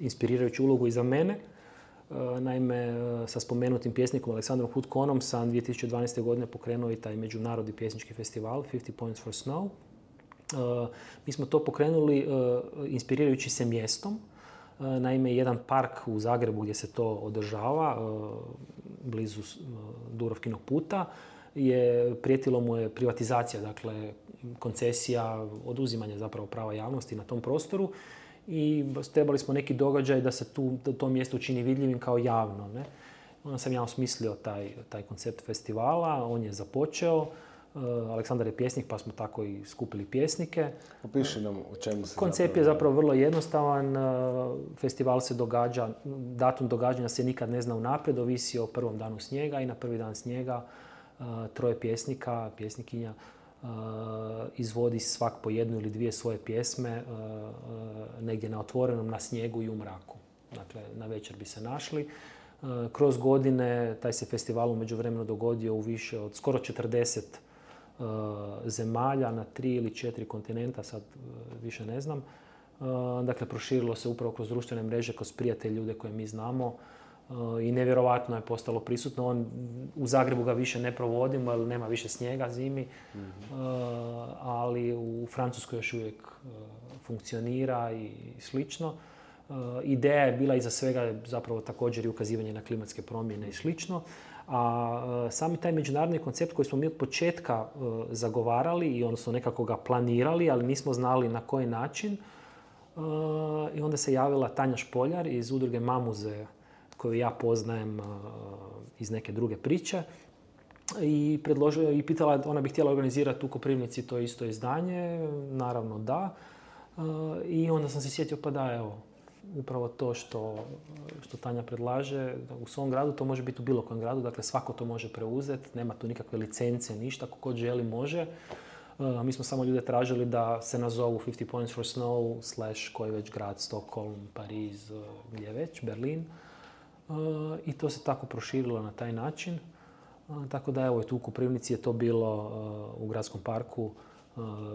Speaker 2: inspirirajuću ulogu i za mene. Naime, sa spomenutim pjesnikom Aleksandrom Hutkonom sam 2012. godine pokrenuo i taj međunarodni pjesnički festival 50 Points for Snow. Mi smo to pokrenuli inspirirajući se mjestom. Naime, jedan park u Zagrebu gdje se to održava, blizu Dubrovkinog puta, prijetilo mu je privatizacija, dakle koncesija, oduzimanje zapravo prava javnosti na tom prostoru i trebali smo neki događaj da se to mjesto učini vidljivim kao javno. Ne? Onda sam ja osmislio taj koncept festivala, on je započeo. Aleksandar je pjesnik pa smo tako i skupili pjesnike.
Speaker 1: Opiši nam o čemu se
Speaker 2: Koncept je zapravo vrlo jednostavan. Festival se događa, datum događanja se nikad ne zna unaprijed, ovisi o prvom danu snijega i na prvi dan snijega 3 pjesnika, pjesnikinja izvodi svak po 1 ili 2 svoje pjesme negdje na otvorenom, na snijegu i u mraku. Dakle, na večer bi se našli. Kroz godine taj se festival u međuvremenu dogodio u više od skoro 40 zemalja na 3 ili 4 kontinenta, sad više ne znam. Dakle, proširilo se upravo kroz društvene mreže, kroz prijatelje, ljude koje mi znamo i nevjerovatno je postalo prisutno. U Zagrebu ga više ne provodimo jer nema više snijega zimi, ali u Francuskoj još uvijek funkcionira i slično. Ideja je bila iza svega zapravo također i ukazivanje na klimatske promjene i slično. A sami taj međunarodni koncept koji smo mi od početka zagovarali i odnosno nekako ga planirali, ali nismo znali na koji način. I onda se javila Tanja Špoljar iz udruge Mamuze, koju ja poznajem iz neke druge priče. I predložila i pitala, ona bi htjela organizirati u Koprivnici to isto izdanje, naravno da. I onda sam se sjetio, pa da, evo, upravo to što Tanja predlaže u svom gradu, to može biti u bilo kojem gradu, dakle svako to može preuzeti, nema tu nikakve licence, ništa, ko god želi može. Mi smo samo ljude tražili da se nazovu 50 Points for Snow / koji već grad, Stockholm, Pariz, gdje već, Berlin. I to se tako proširilo na taj način. Tako da evo, tu u Koprivnici je to bilo u gradskom parku.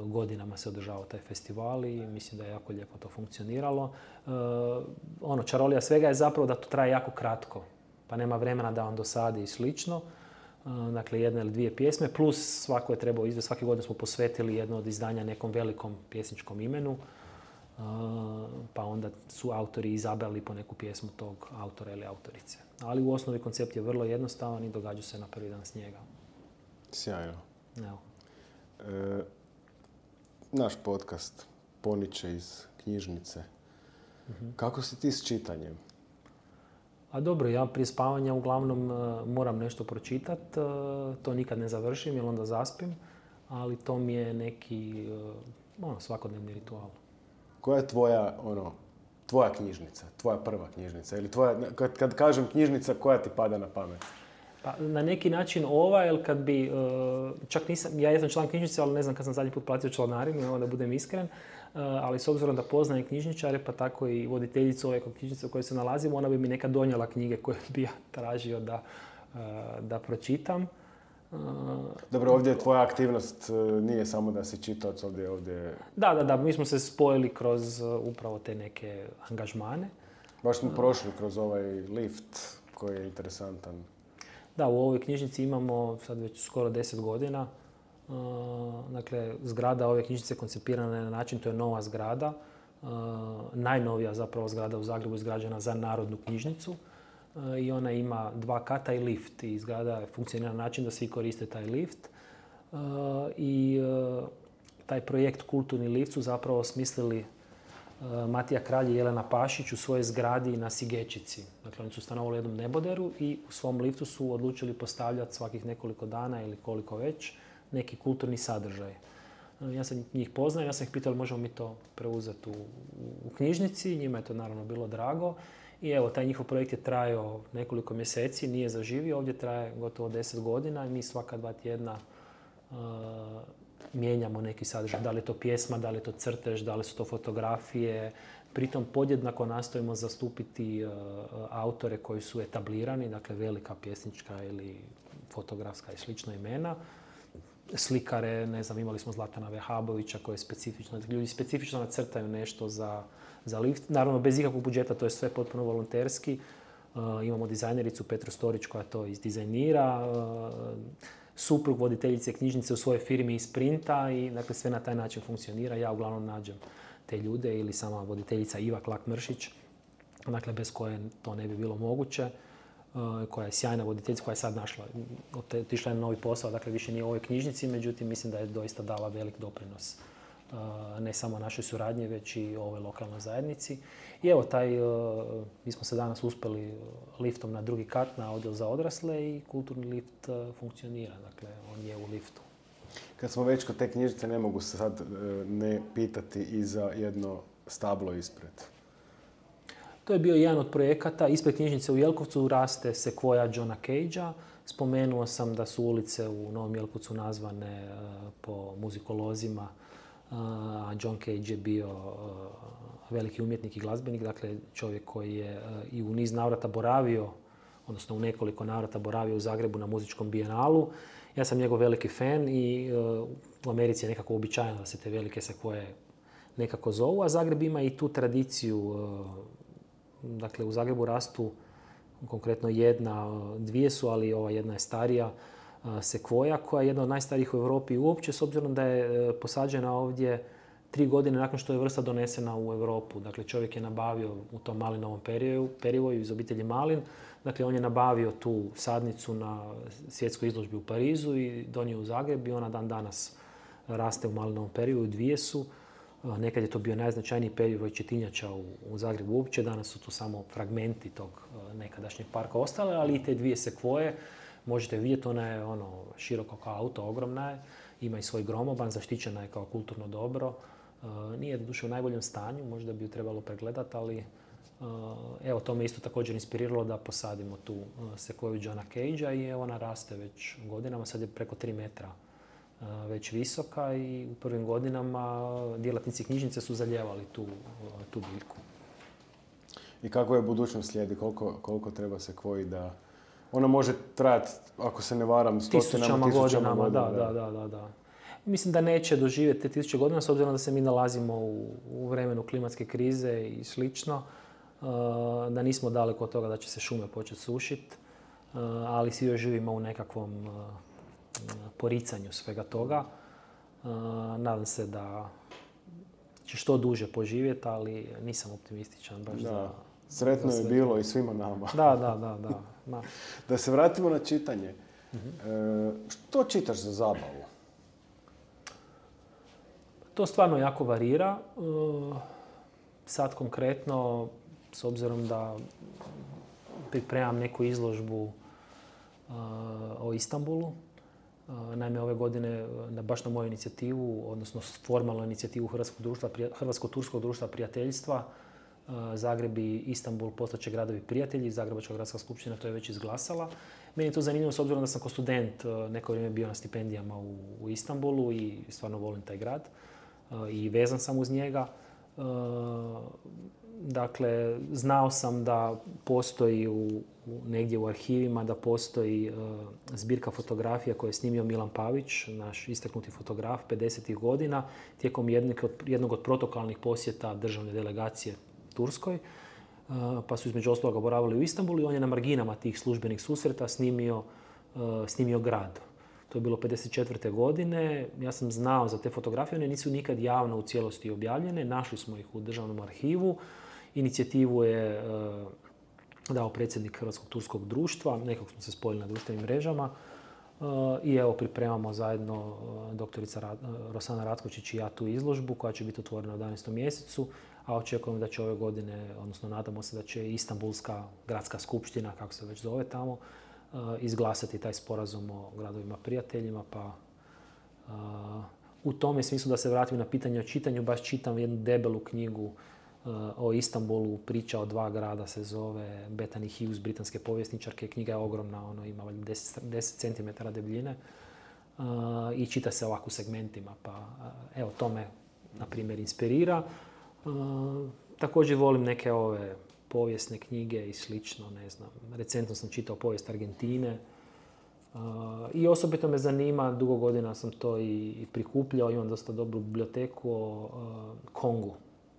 Speaker 2: Godinama se održavao taj festival i mislim da je jako lijepo to funkcioniralo. Čarolija svega je zapravo da to traje jako kratko, pa nema vremena da vam dosadi i slično. Dakle, 1 ili 2 pjesme, plus svako je trebao izvesti, svake godine smo posvetili jedno od izdanja nekom velikom pjesničkom imenu, pa onda su autori izabrali po neku pjesmu tog autora ili autorice. Ali u osnovi koncept je vrlo jednostavan i događa se na prvi dan snijega.
Speaker 1: Sjajno.
Speaker 2: Evo.
Speaker 1: Naš podcast poniče iz knjižnice. Kako si ti s čitanjem?
Speaker 2: A dobro, ja prije spavanja uglavnom moram nešto pročitati. To nikad ne završim jer onda zaspim, ali to mi je neki svakodnevni ritual.
Speaker 1: Koja je tvoja knjižnica, tvoja prva knjižnica? Ili kad kažem knjižnica, koja ti pada na pamet?
Speaker 2: Pa, na neki način jer kad bi, čak nisam, ja jesam član knjižnice, ali ne znam kad sam zadnji put platio članarinu, da budem iskren, ali s obzirom da poznajem knjižničare, pa tako i voditeljicu ove knjižnice u kojoj se nalazimo, ona bi mi nekad donijela knjige koje bi ja tražio da pročitam.
Speaker 1: Dobro, ovdje tvoja aktivnost nije samo da si čitaoc, ovdje...
Speaker 2: Da, mi smo se spojili kroz upravo te neke angažmane.
Speaker 1: Baš smo prošli kroz ovaj lift koji je interesantan.
Speaker 2: Da, u ovoj knjižnici imamo sad već skoro 10 godina. Dakle, zgrada ove knjižnice koncipirana je na način, to je nova zgrada. Najnovija zapravo zgrada u Zagrebu izgrađena za Narodnu knjižnicu. I ona ima 2 kata i lift. I zgrada funkcionira na način da svi koriste taj lift. I taj projekt Kulturni lift su zapravo smislili Matija Kralj i Jelena Pašić u svojoj zgradi na Sigečici. Dakle, oni su stanovali u jednom neboderu i u svom liftu su odlučili postavljati svakih nekoliko dana ili koliko već neki kulturni sadržaj. Ja sam njih poznao, ja sam ih pitao možemo mi to preuzeti u knjižnici, njima je to naravno bilo drago. I evo, taj njihov projekt je trajao nekoliko mjeseci, nije zaživio, ovdje traje gotovo 10 godina i mi svaka 2 tjedna mijenjamo neki sadržaj. Da li je to pjesma, da li je to crtež, da li su to fotografije. Pritom podjednako nastojimo zastupiti autore koji su etablirani, dakle velika pjesnička ili fotografska i slična imena. Slikare, ne znam, imali smo Zlatana Vehabovića koji je specifično, ljudi specifično nacrtaju nešto za lift. Naravno, bez ikakvog budžeta, to je sve potpuno volonterski. Imamo dizajnericu Petru Storić koja to izdizajnira. Suprug voditeljice knjižnice u svojoj firmi isprinta i dakle, sve na taj način funkcionira. Ja uglavnom nađem te ljude ili sama voditeljica Iva Klak-Mršić, dakle, bez koje to ne bi bilo moguće, koja je sjajna voditeljica, koja je sad otišla na novi posao, dakle više nije u ovoj knjižnici, međutim mislim da je doista dala velik doprinos ne samo našoj suradnji, već i ovoj lokalnoj zajednici. I evo, mi smo se danas uspjeli liftom na 2. kat na odjel za odrasle i kulturni lift funkcionira, dakle on je u liftu.
Speaker 1: Kad smo već kod te knjižice, ne mogu se sad ne pitati i za jedno stablo ispred.
Speaker 2: To je bio jedan od projekata. Ispred knjižnice u Jelkovcu raste sekvoja Johna Cagea. Spomenuo sam da su ulice u Novom Jelkovcu nazvane po muzikolozima. John Cage je bio veliki umjetnik i glazbenik, dakle čovjek koji je i u niz navrata boravio, odnosno u nekoliko navrata boravio u Zagrebu na muzičkom bijenalu. Ja sam njegov veliki fan i u Americi je nekako uobičajeno da se te velike sekvoje nekako zovu, a Zagreb ima i tu tradiciju. Dakle, u Zagrebu rastu konkretno jedna, dvije su, ali ova jedna je starija, sekvoja koja je jedna od najstarijih u Europi uopće, s obzirom da je posađena ovdje 3 godine nakon što je vrsta donesena u Europu. Dakle, čovjek je nabavio u tom malinovom perivoju iz obitelji Malin. Dakle, on je nabavio tu sadnicu na svjetskoj izložbi u Parizu i donio u Zagreb i ona dan danas raste u malinovom perivoju. Dvije su. Nekad je to bio najznačajniji perivoj četinjača u Zagrebu uopće. Danas su tu samo fragmenti tog nekadašnjeg parka ostale, ali i te dvije sekvoje možete vidjeti. Ona je široko kao auto, ogromna je. Ima i svoj gromoban, zaštićena je kao kulturno dobro. Nije doduše u najboljem stanju, možda bi ju trebalo pregledati, ali evo, to me isto također inspiriralo da posadimo tu sekvoju Johna Cagea i ona raste već godinama, sad je preko 3 metra već visoka i u prvim godinama djelatnici knjižnice su zalijevali tu biljku.
Speaker 1: I kako je budućnost slijedi? Koliko treba sekvoji da... Ona može trajati, ako se ne varam, tisućama godinama.
Speaker 2: Da. Mislim da neće doživjeti te 1000 godina, s obzirom da se mi nalazimo u vremenu klimatske krize i slično, da nismo daleko od toga da će se šume početi sušiti, ali svi još živimo u nekakvom poricanju svega toga. Nadam se da će što duže poživjeti, ali nisam optimističan baš za...
Speaker 1: Sretno je bilo i svima nama.
Speaker 2: Da.
Speaker 1: Da se vratimo na čitanje. Što čitaš za zabavu?
Speaker 2: To stvarno jako varira. Sad konkretno, s obzirom da pripremam neku izložbu o Istanbulu, naime ove godine, baš na moju inicijativu, odnosno formalnu inicijativu Hrvatsko-turskog društva prijateljstva, Zagreb i Istanbul postaće gradovi prijatelji, Zagrebačka gradska skupština to je već izglasala. Meni je to zanimljivo s obzirom da sam kao student neko vrijeme bio na stipendijama u Istanbulu i stvarno volim taj grad i vezan sam uz njega. Dakle, znao sam da postoji negdje u arhivima, da postoji zbirka fotografija koju je snimio Milan Pavić, naš istaknuti fotograf 50. godina, tijekom jednog od protokolnih posjeta državne delegacije Turskoj, pa su između ostaloga boravili u Istanbulu i on je na marginama tih službenih susreta snimio grad. To je bilo 54. godine. Ja sam znao za te fotografije, one nisu nikad javno u cijelosti objavljene. Našli smo ih u državnom arhivu. Inicijativu je dao predsjednik Hrvatskog turskog društva. Nekako smo se spojili na društvenim mrežama. I evo, pripremamo zajedno doktorica Rosana Ratkočić i ja tu izložbu koja će biti otvorena u 11. mjesecu. A očekujemo da će ove godine, odnosno nadamo se da će Istanbulska gradska skupština, kako se već zove tamo, izglasati taj sporazum o gradovima prijateljima, pa u tome smislu da se vratim na pitanje o čitanju, baš čitam jednu debelu knjigu o Istanbulu, priča o 2 grada se zove Bethany Hughes, britanske povjesničarke. Knjiga je ogromna, ima 10 cm debljine i čita se ovako u segmentima, pa evo, to me, na primjer, inspirira. Također volim neke ove povijesne knjige i slično, ne znam. Recentno sam čitao povijest Argentine i osobito me zanima, dugo godina sam to i prikupljao, imam dosta dobru biblioteku o Kongu.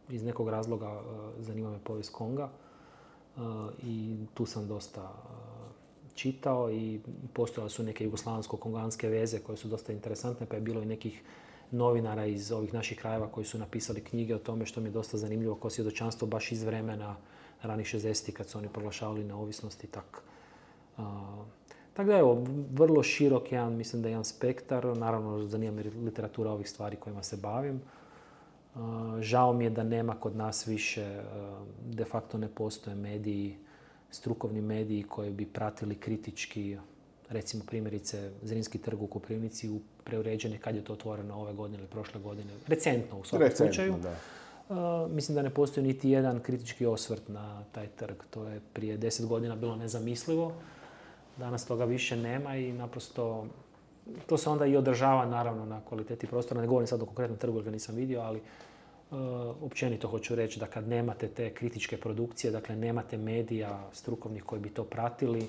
Speaker 2: Iz nekog razloga zanima me povijest Konga i tu sam dosta čitao i postojale su neke jugoslavensko-konganske veze koje su dosta interesantne, pa je bilo i nekih novinara iz ovih naših krajeva koji su napisali knjige o tome, što mi je dosta zanimljivo kao svjedočanstvo baš iz vremena ranih 60-ih kad su oni proglašavali neovisnost i tak. Tako da evo, vrlo širok mislim da je jedan spektar. Naravno, zanima me literatura ovih stvari kojima se bavim. Žao mi je da nema kod nas više, de facto ne postoje mediji, strukovni mediji koji bi pratili kritički recimo primjerice Zrinski trg u Koprivnici preuređen je kad je to otvoreno ove godine ili prošle godine. Recentno u svakom slučaju.
Speaker 1: Da.
Speaker 2: Mislim da ne postoji niti jedan kritički osvrt na taj trg. To je prije 10 godina bilo nezamislivo. Danas toga više nema i naprosto to se onda i održava naravno na kvaliteti prostora. Ne govorim sad o konkretnom trgu jer ga nisam vidio, ali općenito hoću reći da kad nemate te kritičke produkcije, dakle nemate medija strukovnih koji bi to pratili,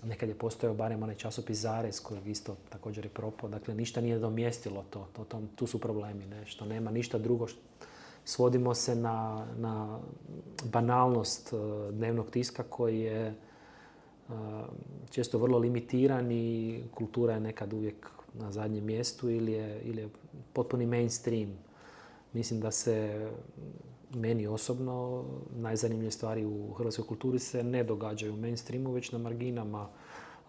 Speaker 2: nekad je postojao barem onaj časopis Zarez kojeg isto također je propao, dakle ništa nije domjestilo to. Tu su problemi, ne? Što nema ništa drugo. Svodimo se na banalnost dnevnog tiska koji je često vrlo limitiran i kultura je nekad uvijek na zadnjem mjestu ili je potpuni mainstream. Mislim da se meni osobno najzanimljivije stvari u hrvatskoj kulturi se ne događaju u mainstreamu, već na marginama,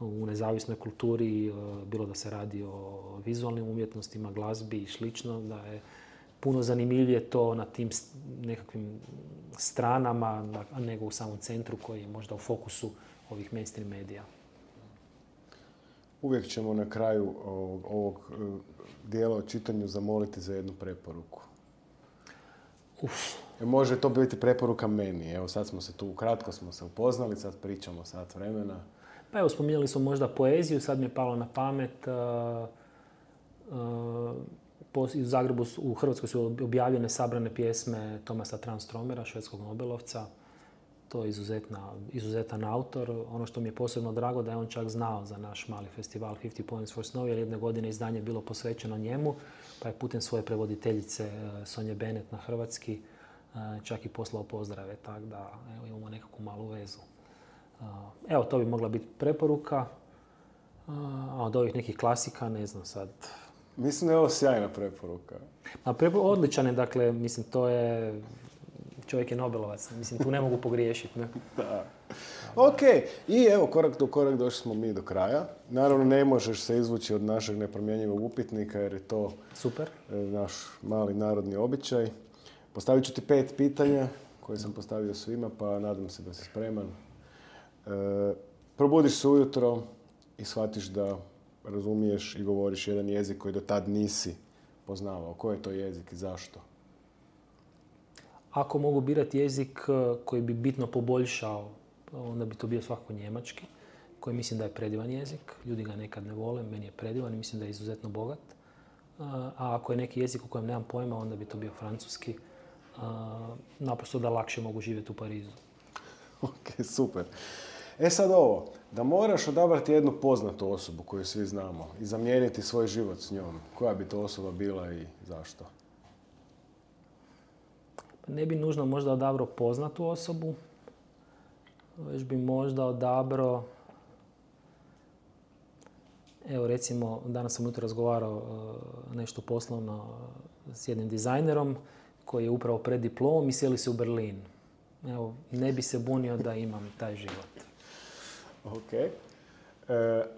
Speaker 2: u nezavisnoj kulturi, bilo da se radi o vizualnim umjetnostima, glazbi i slično, da je puno zanimljivije to na tim nekakvim stranama, nego u samom centru koji je možda u fokusu ovih mainstream medija.
Speaker 1: Uvijek ćemo na kraju ovog dijela o čitanju zamoliti za jednu preporuku. Može to biti preporuka meni. Evo sad smo se tu, kratko smo se upoznali, sad pričamo sat vremena.
Speaker 2: Pa evo, spominjali smo možda poeziju, sad mi je palo na pamet. U Zagrebu, u Hrvatskoj su objavljene sabrane pjesme Thomasa Tranströmera, švedskog Nobelovca. To je izuzetan autor. Ono što mi je posebno drago da je on čak znao za naš mali festival 50 Poems for Snow, jer jedne godine izdanje je bilo posvećeno njemu, pa je putem svoje prevoditeljice Sonje Bennett na hrvatski čak i poslao pozdrave, tako da evo, imamo nekakvu malu vezu. Evo, to bi mogla biti preporuka. A od ovih nekih klasika, ne znam sad.
Speaker 1: Mislim da je ovo sjajna preporuka.
Speaker 2: Odličan je, dakle, mislim, to je... Čovjek je Nobelovac, mislim, tu ne mogu pogriješiti. Ne?
Speaker 1: Da. Ok, i evo, korak do korak došli smo mi do kraja. Naravno, ne možeš se izvući od našeg nepromjenjivog upitnika jer je to
Speaker 2: super.
Speaker 1: Naš mali narodni običaj. Postavit ću ti 5 pitanja koje sam postavio svima, pa nadam se da si spreman. Probudiš se ujutro i shvatiš da razumiješ i govoriš jedan jezik koji do tad nisi poznavao. Koji je to jezik i zašto?
Speaker 2: Ako mogu birati jezik koji bi bitno poboljšao, onda bi to bio svakako njemački, koji mislim da je predivan jezik. Ljudi ga nekad ne vole, meni je predivan i mislim da je izuzetno bogat. A ako je neki jezik u kojem nemam pojma, onda bi to bio francuski. Naprosto da lakše mogu živjeti u Parizu.
Speaker 1: Ok, super. Sad ovo, da moraš odabrati jednu poznatu osobu koju svi znamo i zamijeniti svoj život s njom, koja bi to osoba bila i zašto?
Speaker 2: Ne bi nužno možda odabrao poznatu osobu, već bi možda odabrao, evo recimo, danas sam ujutro razgovarao nešto poslovno s jednim dizajnerom koji je upravo pred diplomom i sjeli se u Berlin. Evo, ne bi se bunio da imam taj život.
Speaker 1: Ok.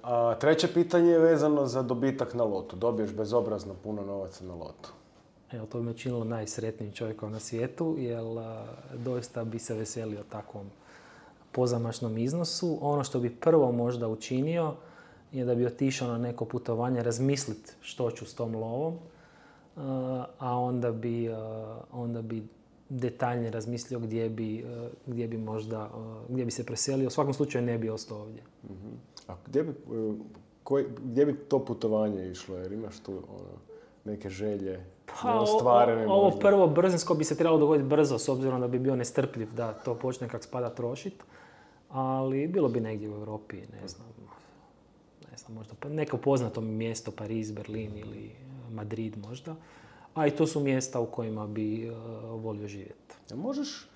Speaker 1: A treće pitanje je vezano za dobitak na lotu. Dobiješ bezobrazno puno novaca na lotu.
Speaker 2: Evo, to bi me činilo najsretnijim čovjekom na svijetu, jer doista bi se veselio takvom pozamašnom iznosu. Ono što bi prvo možda učinio je da bi otišao na neko putovanje, razmisliti što ću s tom lovom, a onda bi detaljnije razmislio gdje bi se preselio. U svakom slučaju ne bi ostao ovdje.
Speaker 1: Uh-huh. A gdje bi to putovanje išlo? Jer imaš tu neke želje neostvarene?
Speaker 2: Ovo prvo brzinsko bi se trebalo dogoditi brzo, s obzirom da bi bio nestrpljiv da to počne kak spada trošiti. Ali bilo bi negdje u Europi, ne znam, možda neko poznato mjesto, Pariz, Berlin ili Madrid možda. A i to su mjesta u kojima bi volio živjeti.
Speaker 1: Možeš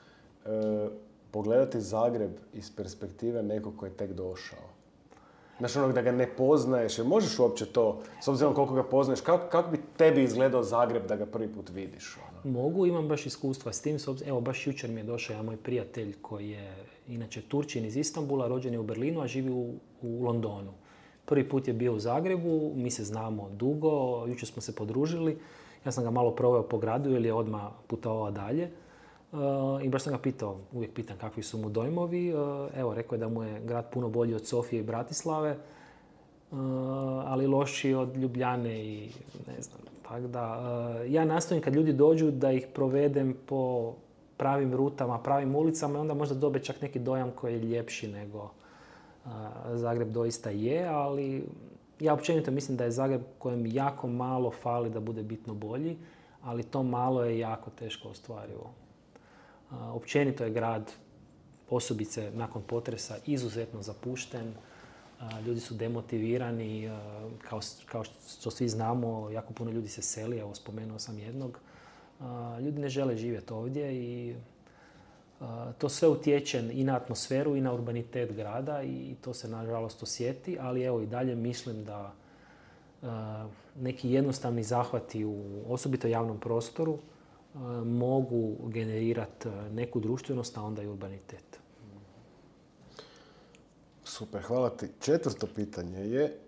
Speaker 1: pogledati Zagreb iz perspektive nekog koji je tek došao? Znaš, onog da ga ne poznaješ, jer možeš uopće to, s obzirom koliko ga poznaješ, kako bi tebi izgledao Zagreb da ga prvi put vidiš?
Speaker 2: Mogu, imam baš iskustva s tim. Evo, baš jučer mi je došao jedan moj prijatelj koji je inače Turčin iz Istanbula, rođen je u Berlinu, a živi u Londonu. Prvi put je bio u Zagrebu, mi se znamo dugo, jučer smo se podružili. Ja sam ga malo proveo po gradu jer je odmah putovao dalje. I baš sam ga pitao, uvijek pitam kakvi su mu dojmovi. Evo, rekao je da mu je grad puno bolji od Sofije i Bratislave, ali lošiji od Ljubljane i ne znam. Tako da, ja nastojim kad ljudi dođu da ih provedem po pravim rutama, pravim ulicama i onda možda dobe čak neki dojam koji je ljepši nego Zagreb doista je, ali ja općenito mislim da je Zagreb kojem jako malo fali da bude bitno bolji, ali to malo je jako teško ostvarivo. Općenito je grad, posebice nakon potresa, izuzetno zapušten. Ljudi su demotivirani, kao što svi znamo, jako puno ljudi se seli, evo spomenuo sam jednog. Ljudi ne žele živjeti ovdje i to sve utječe i na atmosferu i na urbanitet grada i to se nažalost osjeti, ali evo i dalje mislim da neki jednostavni zahvati u osobito javnom prostoru mogu generirati neku društvenost, a onda i urbanitet.
Speaker 1: Super, hvala ti. 4. pitanje je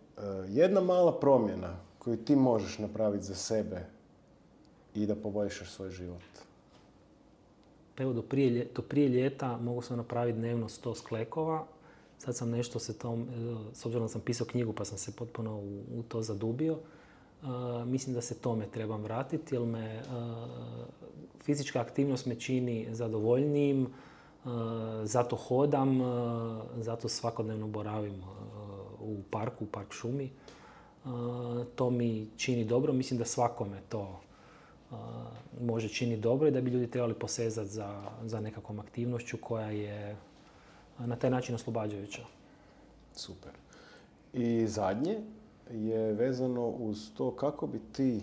Speaker 1: jedna mala promjena koju ti možeš napraviti za sebe i da poboljšaš svoj život.
Speaker 2: Evo, do prije ljeta mogu sam napraviti dnevno 100 sklekova. Sad sam nešto s obzirom da sam pisao knjigu pa sam se potpuno u to zadubio. Mislim da se tome trebam vratiti jer me fizička aktivnost me čini zadovoljnijim, zato hodam, zato svakodnevno boravim u park šumi. To mi čini dobro, mislim da svakome to može činiti dobro i da bi ljudi trebali posezati za nekakvom aktivnošću koja je na taj način oslobađajuća.
Speaker 1: Super. I zadnje je vezano uz to kako bi ti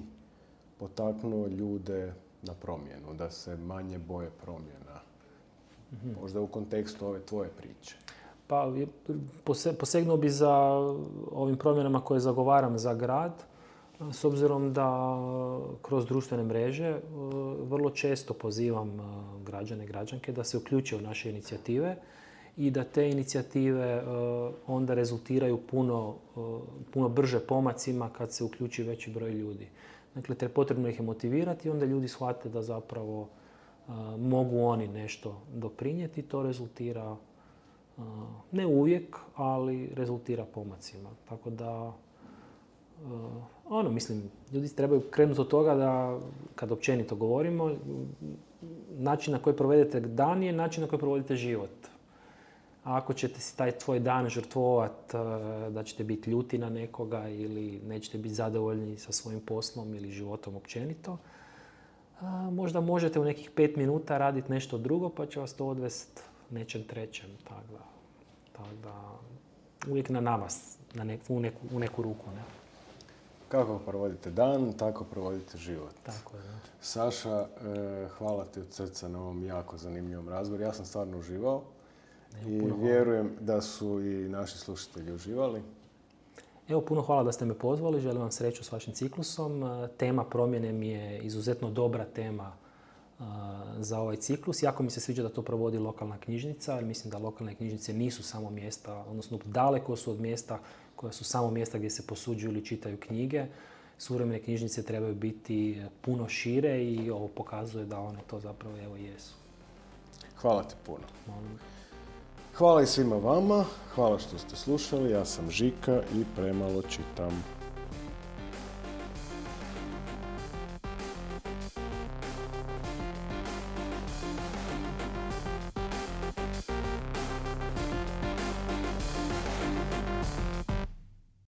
Speaker 1: potaknuo ljude na promjenu, da se manje boje promjena. Možda u kontekstu ove tvoje priče.
Speaker 2: Pa posegnuo bi za ovim promjenama koje zagovaram za grad, s obzirom da kroz društvene mreže vrlo često pozivam građane i građanke da se uključe u naše inicijative i da te inicijative onda rezultiraju puno brže pomacima kad se uključi veći broj ljudi. Dakle, potrebno ih je motivirati i onda ljudi shvate da zapravo mogu oni nešto doprinijeti. To rezultira, ne uvijek, ali rezultira pomacima. Tako da, mislim, ljudi trebaju krenuti od toga da, kad općenito govorimo, način na koji provedete dan je način na koji provodite život. A ako ćete si taj tvoj dan žrtvovati da ćete biti ljuti na nekoga ili nećete biti zadovoljni sa svojim poslom ili životom općenito, možda možete u nekih 5 minuta raditi nešto drugo pa će vas to odvesti nečem trećem. Tako da uvijek na nama, u neku ruku. Ne?
Speaker 1: Kako provodite dan, tako provodite život.
Speaker 2: Tako je. Da.
Speaker 1: Saša, hvala ti od srca na ovom jako zanimljivom razgovoru. Ja sam stvarno uživao i vjerujem da su i naši slušatelji uživali.
Speaker 2: Evo, puno hvala da ste me pozvali. Želim vam sreću s vašim ciklusom. Tema promjene mi je izuzetno dobra tema za ovaj ciklus. Jako mi se sviđa da to provodi lokalna knjižnica, jer mislim da lokalne knjižnice nisu samo mjesta, odnosno daleko su od mjesta koja su samo mjesta gdje se posuđuju ili čitaju knjige. Suvremene knjižnice trebaju biti puno šire i ovo pokazuje da one to zapravo evo jesu.
Speaker 1: Hvala ti puno. Hvala i svima vama. Hvala što ste slušali. Ja sam Žika i premalo čitam.